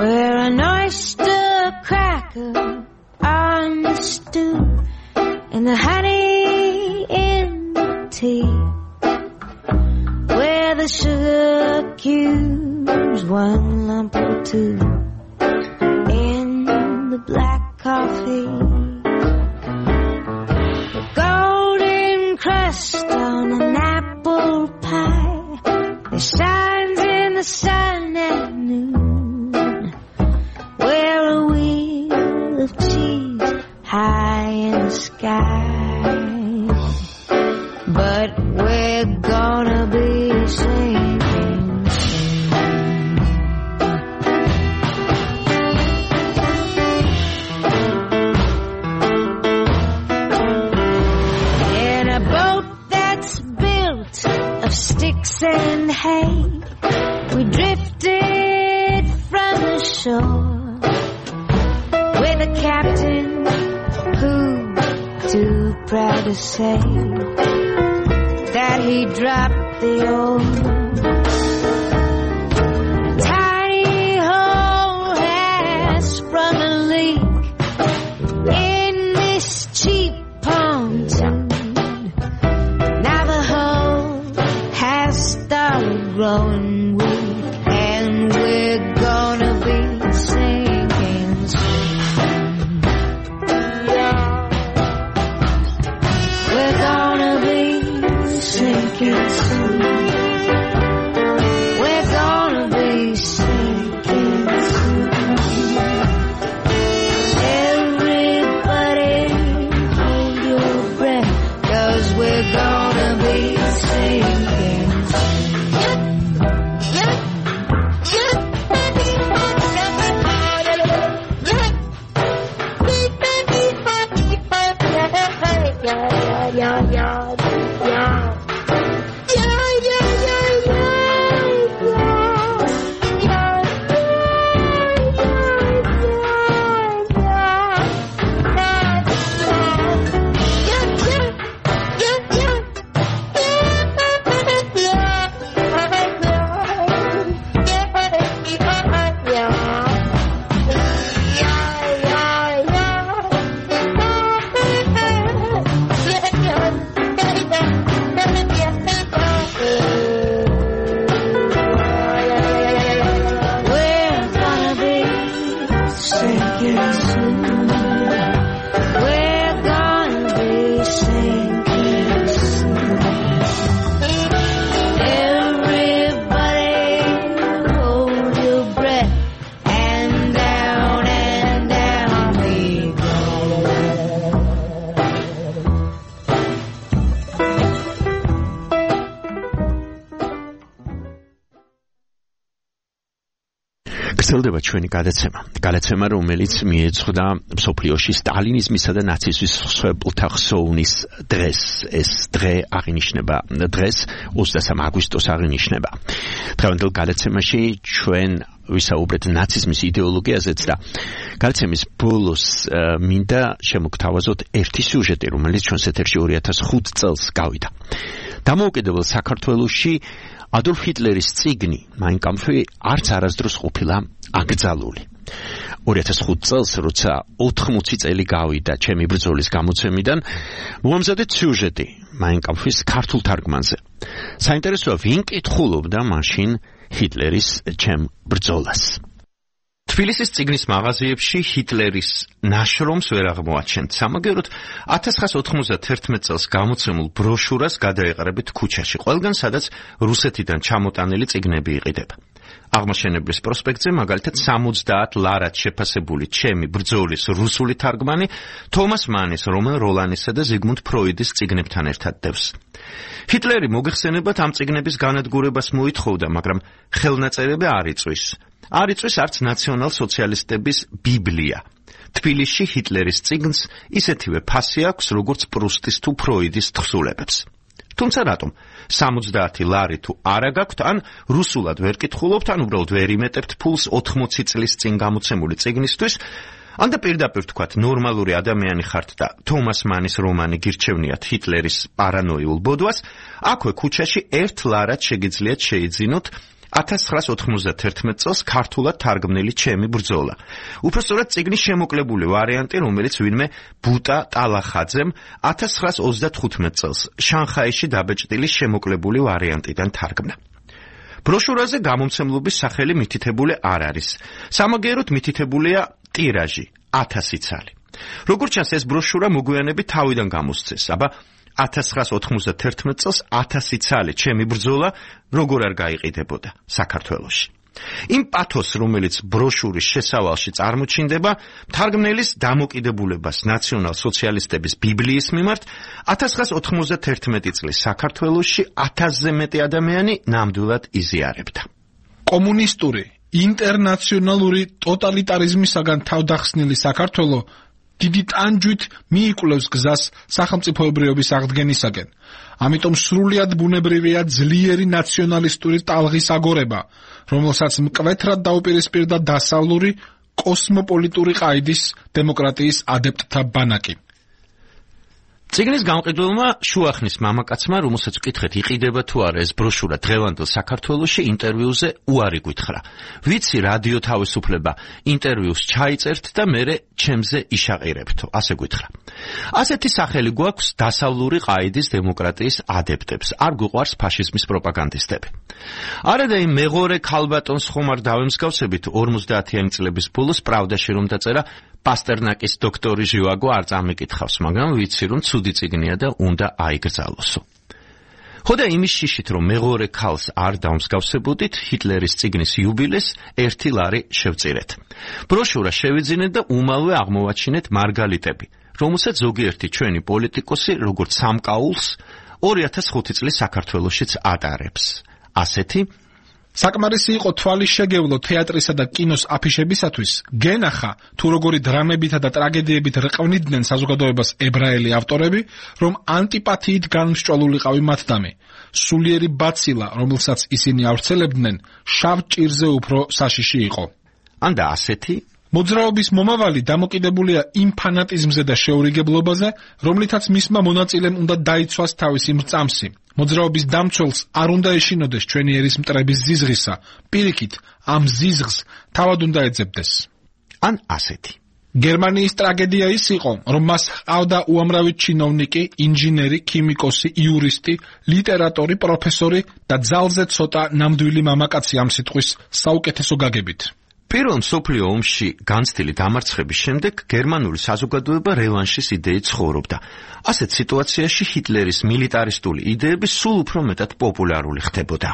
Where a nice cubes, one lump or two in the black coffee. A golden crust on an apple pie that shines in the sun at noon. Where a wheel of cheese high in the sky, but we're gonna be sinking soon. In a boat that's built of sticks and hay, we drifted from the shore with a captain who, too proud to say that he dropped the oar. Tiny hole has sprung a leak in this cheap pontoon. Now the hole has started growing weak, and we're gonna be sinking soon. We're gonna be sinking soon. We're gonna be sinking soon. Everybody hold your breath, 'cause we're gonna be sinking soon. Yeah, yeah, yeah, yeah. გრძელდება ჩვენი გადაცემა. გადაცემა, რომელიც მიეძღვნა მსოფლიოში სტალინიზმისა და ნაციზმის მსხვერპლთა ხსოვნის დღეს. ეს დღე აღინიშნება დღეს ოცდასამი აგვისტოს აღინიშნება. დღევანდელ გადაცემაში ჩვენ ვისაუბრეთ ნაციზმის იდეოლოგიაზეც და გადაცემის ბოლოს მინდა შემოგთავაზოთ ერთი სიუჟეტი, რომელიც ჩვენს ეთერში ორი ათას ხუთი წელს გავიდა. დამოუკიდებელ საქართველოში ადოლფ ჰიტლერის წიგნი Mein Kampf არც არასდროს ყოფილა აკრძალული. ორი ათას ხუთი წელს, როცა ოთხმოცი წელი გავიდა ჩემი ბრძოლის გამოცემიდან, მოამზადეთ სიუჟეტი Mein Kampf-ის ქართულ თარგმანზე. საინტერესოა, ვინ კითხულობდა მაშინ ჰიტლერის ჩემ ბრძოლას. თბილისის წიგნის მაღაზიებში ჰიტლერის ნაშრომს ვერ აღმოაჩენთ. სამაგეროდ ათას ცხრაასი ოთხმოცდაათი წელს გამოცემულ ბროშურას გადაეყრებით ქუჩაში, ყველგან სადაც რუსეთიდან ჩამოტანილი წიგნები იყიდება. აღმაშენებლის პროსპექტზე მაგალითად სამოცდაათ ლარად შეფასებული ჩემი ბრძოლის რუსული თარგმანი თომას მანის, რომელ როლანისა და ზიგმუნდ ფროიდის წიგნებთან ერთად დევს. ჰიტლერი მოგეხსენებათ ამ წიგნების განადგურებას მოითხოვდა, მაგრამ ხელნაწერები არ იწვის. არ იწვის არც ნაციონალ-სოციალისტების ბიბლია. თბილისში ჰიტლერის წიგნს ისეთივე ფასი აქვს, როგორც პრუსტის თუ ფროიდის თხზულებებს. თუმცა რატომ? სამოცდაათი ლარი თუ არა გაქვთ, ან რუსულად ვერ კითხულობთ, ან უბრალოდ ვერ იმეტებთ ფულს ოთხმოცი წლის წინ გამოცემული წიგნისთვის, ან და პირდაპირ თქვათ, ნორმალური ადამიანი ხართ და თომას მანის რომანი გირჩევნიათ ჰიტლერის პარანოიულ ბოდვას, აქვე ქუჩაში ერთ ლარად შეგიძლიათ შეიძინოთ ათას ცხრაასი ოთხმოცდაათი წელს ქართულად თარგმნილი ჩემი ბრძოლა. უпростоრად წიგნის შემოკლებული ვარიანტი, რომელიც ვინმე ბუტა ტალახაძემ ათას ცხრაასი ოცდათხუთმეტი წელს შანხაიში დაბეჭდილი შემოკლებული ვარიანტიდან თარგმნა. ბროშურაზე გამომცემლობის სახელი მითითებული არ არის. სამაგიეროდ მითითებულია ტირაჟი ათასი ცალი. როგორც ჩანს, ეს ბროშურა მოგვიანებით თავიდან გამოსცეს, აბა ათას ცხრაას ოთხმოცდათერთმეტ წელს ათასი ცალი ჩემი ბრძოლა როგორ არ გაიყიდებოდა საქართველოში. იმ პათოს, რომელიც ბროშურის შესავალში წარმოჩინდება, მთარგმნელის დამოკიდებულებას ნაციონალ-სოციალისტების ბიბლიის მიმართ ათას ცხრაას ოთხმოცდათერთმეტი წლის საქართველოში ათასზე მეტი ადამიანი ნამდვილად იზიარებდა. კომუნისტური, ინტერნაციონალური ტოტალიტარიზმისაგან თავდახსნილი საქართველო დიდი ტანჯვით მიიკვლევს გზას სახელმწიფოებრიობის აღდგენისაკენ. ამიტომ სრულიად ბუნებრივია ძლიერი ნაციონალისტური ტალღის აგორება, რომელსაც მკვეთრად დაუპირისპირდა დასავლური კოსმოპოლიტური ყაიდის დემოკრატიის ადეპტთა ბანაკი. წიგნის გამყიდველმა შუახნის მამაკაცმა, რომელსაც ვკითხეთ, იყიდება თუ არა ეს ბროშურა დღევანდელ საქართველოში, ინტერვიუზე უარი გითხრა. ვიცი, რადიო თავისუფლება ინტერვიუს ჩაიწერთ და მერე ჩემზე იშაყირებთო, ასე გითხრა. ასეთი სახელი გვაქვს დასავლური ყაიდის დემოკრატიის ადეპტებს, არ გვიყვარს ფაშიზმის პროპაგანდისტები. არადა იმ მეღორე ქალბატონს ხომ არ დავემსგავსებით ორმოცდაათიანი წლების ბოლოს პრავდაში რომ დაწერა პასტერნაკის დოქტორი ჟივაგო არ წამიკითხავს, მაგრამ ვიცი რომ ცუდი წიგნია და უნდა აიგრძალოსო. ხოდა იმის შიშით რომ მეღორე ქალს არ დავმსგავსებოდით, ჰიტლერის წიგნის იუბილეს ერთი ლარი შევწირეთ. ბროშურა შევიძინეთ და უმალვე აღმოვაჩინეთ მარგალიტები, რომელსაც ზოგიერთი ჩვენი პოლიტიკოსი როგორც სამკაულს ორი ათას ხუთი წლის საქართველოშიც ატარებს. ასეთი საკმარისი იყო თვალის შეგევლო თეატრისა და კინოს აფიშებისათვის, გენახა თუ როგორი დრამებითა და ტრაგედიებით რყვნიდნენ საზოგადოებას ებრაელი ავტორები, რომ ანტიპათიით განმსჭვალულიყავი მათდამი. სულიერი ბაცილა, რომელსაც ისინი ავრცელებდნენ, შავ ჭირზე უფრო საშიში იყო. ანდა ასეთი მოძრაობის მომავალი დამოკიდებულია იმ ფანატიზმზე და შეურიგებლობაზე, რომლითაც მისმა მონაწილემ უნდა დაიცვას თავისი მრწამსი. მოძრაობის დამცველს არ უნდა ეშინოდეს ჩვენი ერის მტრების ზიზღისა, პირიქით, ამ ზიზღს თავად უნდა ეძებდეს. ან ასეთი. გერმანიის ტრაგედია ის იყო, რომ მას ჰყავდა უამრავი ჩინოვნიკი, ინჟინერი, ქიმიკოსი, იურისტი, ლიტერატორი, პროფესორი და ძალზე ცოტა ნამდვილი მამაკაცი ამ სიტყვის საუკეთესო გაგებით. პირველ მსოფლიო ომში განცდილი დამარცხების შემდეგ გერმანული საზოგადოება რევანშის იდეით ცხოვრობდა. ასეთ სიტუაციაში ჰიტლერის მილიტარისტული იდეები სულ უფრო მეტად პოპულარული ხდებოდა.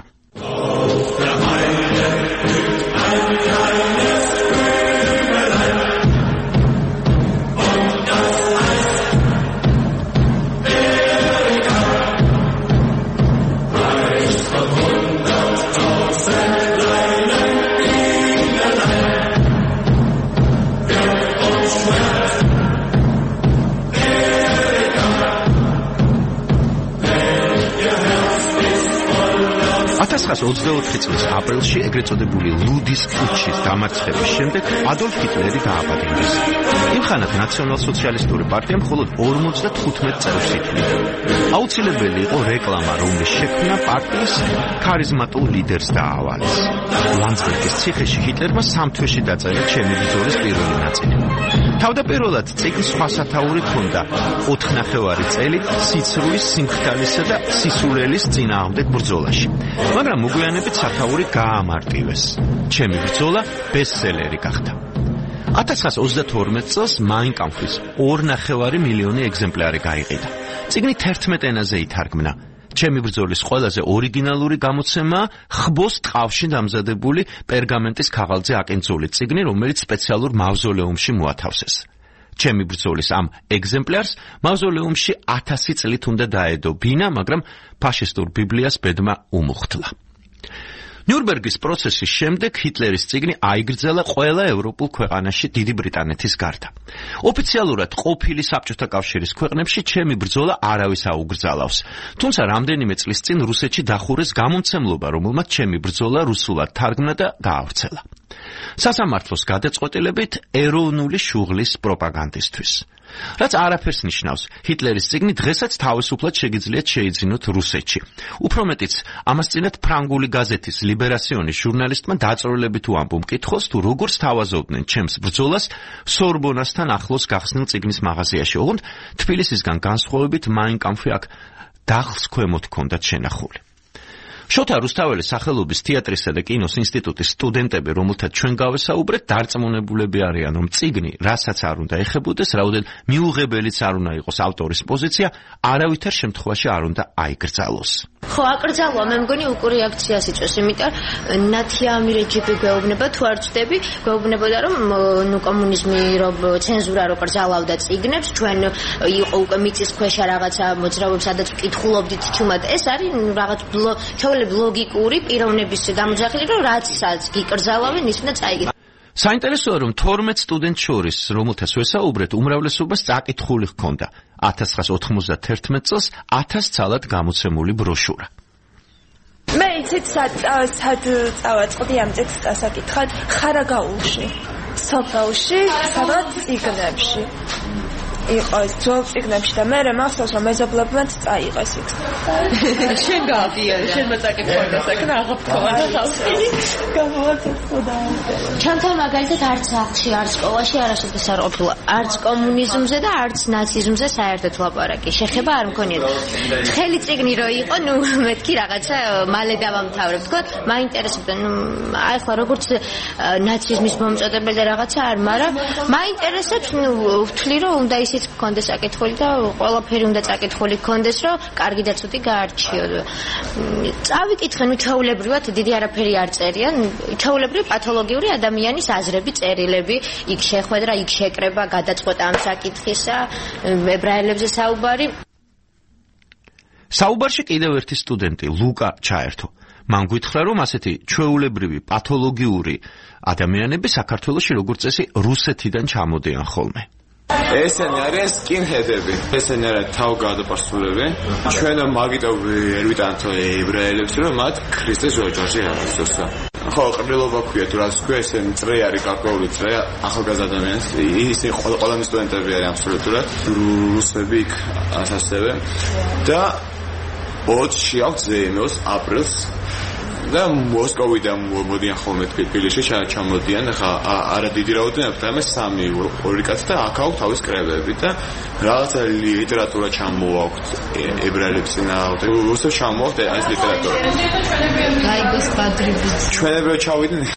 ათას ცხრაას ოცდაოთხი წლის აპრილში ეგრეთ წოდებული ლუდის პუტჩის დამარცხების შემდეგ ადოლფ ჰიტლერი დააპატიმრეს. იმ ხანად ნაციონალ-სოციალისტური პარტია მხოლოდ ორმოცდათხუთმეტ წევრს ითვლიდა. აუცილებელი იყო რეკლამა, რომლის შექმნა პარტიის ქარიზმატულ ლიდერს დაავალეს. ლანდსბერგის ციხეში ჰიტლერმა სამ თვეში დაწერა ჩემი ბრძოლის პირველი ნაწილი. თავდაპირველად წიგნს სხვა სათაური ჰქონდა ოთხნახევარი წელი სიცრუის, სიმხდალისა და სისულელის წინააღმდეგ ბრძოლაში. მაგრამ მოგვიანებით სათაური გაამარტივეს. ჩემი ბრძოლა ბესტსელერი გახდა. ათას ცხრაას ოცდათორმეტ წელს მაინ კამფის ორნახევარი მილიონი ეგზემპლარი გაიყიდა. წიგნი თერთმეტ ენაზე ითარგმნა. ჩემი ბრძოლის ყველაზე ორიგინალური გამოცემა ხბოს ტყავში დამზადებული პერგამენტის ქაღალდზე აკინძული წიგნი, რომელიც სპეციალურ მავზოლეუმში მოათავსეს. ჩემი ბრძოლის ამ ეგზემპლარს მავზოლეუმში ათასი წლით უნდა დაედო ბინა, მაგრამ ფაშისტურ ბიბლიას ბედმა უმუხტლა. ნიურნბერგის პროცესის შემდეგ ჰიტლერის წიგნი აიგრძელა ყველა ევროპულ ქვეყანაში დიდი ბრიტანეთის გარდა. ოფიციალურად ყოფილი საბჭოთა კავშირის ქვეყნებში ჩემი ბრძოლა არავის აუგრძალავს. თუმცა რამდენიმე წლის წინ რუსეთში დახურეს გამომცემლობა, რომელმაც ჩემი ბრძოლა რუსულად თარგმნა და გაავრცელა. სასამართლოს გადაწყვეტილებით ეროვნული შუღლის პროპაგანდისთვის. რაც არაფერს ნიშნავს, ჰიტლერის წიგნი დღესაც თავისუფლად შეგიძლიათ შეიძინოთ რუსეთში. უფრო მეტიც, ამას წინათ ფრანგული გაზეთის ლიბერაციონის ჟურნალისტმა დაწვრილებით უამბო მკითხოს, თუ როგორ სთავაზობდნენ ჩემს ბრძოლას სორბონასთან ახლოს გახსნილ წიგნის მაღაზიაში, ოღონდ თბილისისგან განსხვავებით მაინ კამფი აქ დახლს ქვემოთ ჰქონდათ შენახული. შოთა რუსთაველის სახელობის თეატრისა და კინოს ინსტიტუტის სტუდენტები, რომელთაც ჩვენ გავესაუბრეთ, დარწმუნებულები არიან, რომ წიგნი, რასაც არ უნდა ეხებოდეს, რაოდენ მიუღებელიც არ უნდა იყოს ავტორის პოზიცია, არავითარ შემთხვევაში არ უნდა აიკრძალოს. ხო, აკრძალვა, მე მგონი უკუ რეაქციას იწვევს, იმიტომ ნათიამი რეჯიმი გვეუბნება, თუ არ ვწდები, გვეუბნებოდა, რომ ნუ კომუნიზმი რო ცენზურა რო კრძალავდა წიგნებს, ჩვენ იყო უკვე მიწისქვეშა რაღაცა მოძრაობებს, სადაც ვკითხულობდით თუმად, ეს არის რაღაც ჩვეულებრივ ლოგიკური პიროვნების გამოძახილი, რომ რაცაც გიკრძალავენ, ის უნდა წაიგეთ. საინტერესოა, რომ თორმეტ სტუდენტს შორის, რომელთაც ვესაუბრეთ, უმრავლესობას წაკითხული ჰქონდა. ათას ცხრაასი ოთხმოცდათერთმეტ წელს ათას ცალად გამოცემული ბროშურა. მე იცით სად სად წავაწყდი ამ ტექსტს ასაკითხად ხარაგაულში, სოფელში, სადაც წიგნებში. იყო ეს ძველ წიგნებში და მე მახსოვს რომ მეზობლებმაც წაიღეს იქ. შენ გავიარე, შენ მოწაკითხავდა საკნა აღფრთოვა და ხალხი გამოვაცხოდა. ჩანთან მაგალითად არც სახლში, არც სკოლაში არასოდეს არ ყოფილა, არც კომუნიზმზე და არც ნაციზმზე საერთოდ ლაპარაკი. შეხება არ მქონია. ხელი წიგნი რო იყო, ნუ მეთქი რაღაცა მალე დავამთავრებ, თქო, მაინტერესებდა, ნუ აი ახლა როგორც ნაციზმის მომწოდებელი და რაღაცა არ, მაგრამ მაინტერესებს, ნუ ვთვლი რომ უნდა ის გქონდეს საკითხული და ყველაფერი უნდა საკითხული გქონდეს, რომ კარგი და ცუდი გაარჩიო. წავიკითხე, ნუ ჩაულებრივად დიდი არაფერი არ წერიან, ჩაულებრივი პათოლოგიური ადამიანის აზრები, წერილები, იქ შეხვედრა, იქ შეკრება, გადაწყვეტა ამ საკითხისა, ებრაელებზე საუბარი. საუბარში კიდევ ერთი სტუდენტი, ლუკა ჩაერთო. მან გითხრა, რომ ასეთი ჩვეულებრივი პათოლოგიური ადამიანები საქართველოში როგორც წესი რუსეთიდან ჩამოდიან ხოლმე. ესენი არის სკინჰედები, ესენი არის თავგადასასრულები. ჩვენ მაგიტო ვერვიტანთ ებრაელებს, რომ მათ ქრისტეს ოჯახი აღვწოს. ხო, ყრილობა ქვია, თუ რაც ქვია, ესენი წრე არის გარკვეული წრე ახალგაზრდა ადამიანს. ისინი ყველა სტუდენტები არიან აბსოლუტურად რუსები იქ ასასევე და ოცი აგვზეიმოს აპრილს და მოსკოვიდან მოდიან ხოლმე თბილისში ჩამოდიან, ხა არა დიდი რაოდენობით, მაგრამ სამი ორი კაცი და აქ აქვს თავის კრებები და რაღაცა ლიტერატურა ჩამოვაქვთ ებრაელებს წინააღმდეგ. რუსებს ჩამოვაქვთ ეს ლიტერატურა. გაიგოს ბადრიბის. ჩვენებრივ ჩავიდნენ.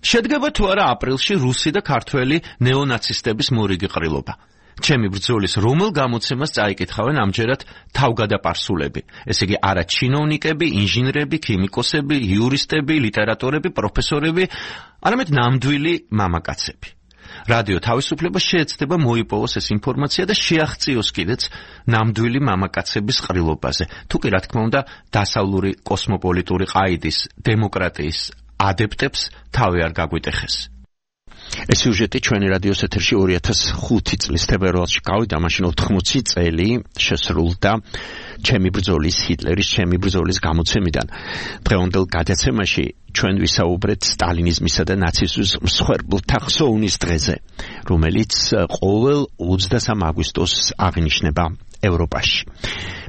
შედგება თუ არა აპრილში რუსი და ქართველი ნეონაცისტების მორიგი ყრილობა. ჩემი ბრძოლის რომელ გამოცემას წაიკითხავენ ამჯერად თავგადაპარსულები. ესე იგი არა ჩინოვნიკები, ინჟინრები, ქიმიკოსები, იურისტები, ლიტერატორები, პროფესორები, არამედ ნამდვილი მამაკაცები. რადიო თავისუფლება შეეცდება მოიპოვოს ეს ინფორმაცია და შეაღწიოს კიდეც ნამდვილი მამაკაცების ყრილობაზე. თუ კი რა თქმა უნდა დასავლური კოსმოპოლიტური ყაიდის დემოკრატიის ადეპტებს თავი არ გაგვიტეხეს. ეს სიუჟეტი ჩვენი რადიოს ეთერში ორი ათას ხუთი წლის თებერვალში გავიდა, მაშინ ოთხმოცი წელი შესრულდა ჩემი ბრძოლის ჰიტლერის ჩემი ბრძოლის გამოცემიდან. დღევანდელ გადაცემაში ჩვენ ვისაუბრეთ სტალინიზმისა და ნაციზმის მსხვერპლთა ხსოვნის დღეზე, რომელიც ყოველ ოცდასამ აგვისტოს აღინიშნება ევროპაში.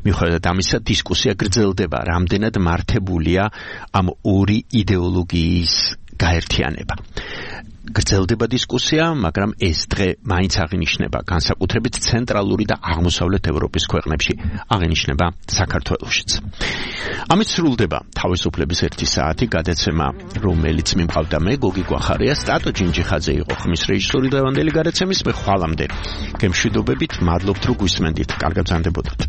მიუხედავად ამისა, დისკუსია გრძელდება, რამდენად მართებულია ამ ორი იდეოლოგიის გაერთიანება. გრძელდება დისკუსია, მაგრამ ეს დღე მაინც აღინიშნება განსაკუთრებით ცენტრალური და აღმოსავლეთ ევროპის ქვეყნებში, აღინიშნება საქართველოშიც. ამით სრულდება თავისუფლების ერთი საათი გადაცემა, რომელიც მიმყავდა მე, გოგი გვახარია, სტატო ჯინჯიხაძე იყო ხმის რეჟისორი დღევანდელი გადაცემის. მე ხვალამდე გემშვიდობებით, მადლობთ რომ გვისმენდით. კარგად ბრძანდებოდეთ.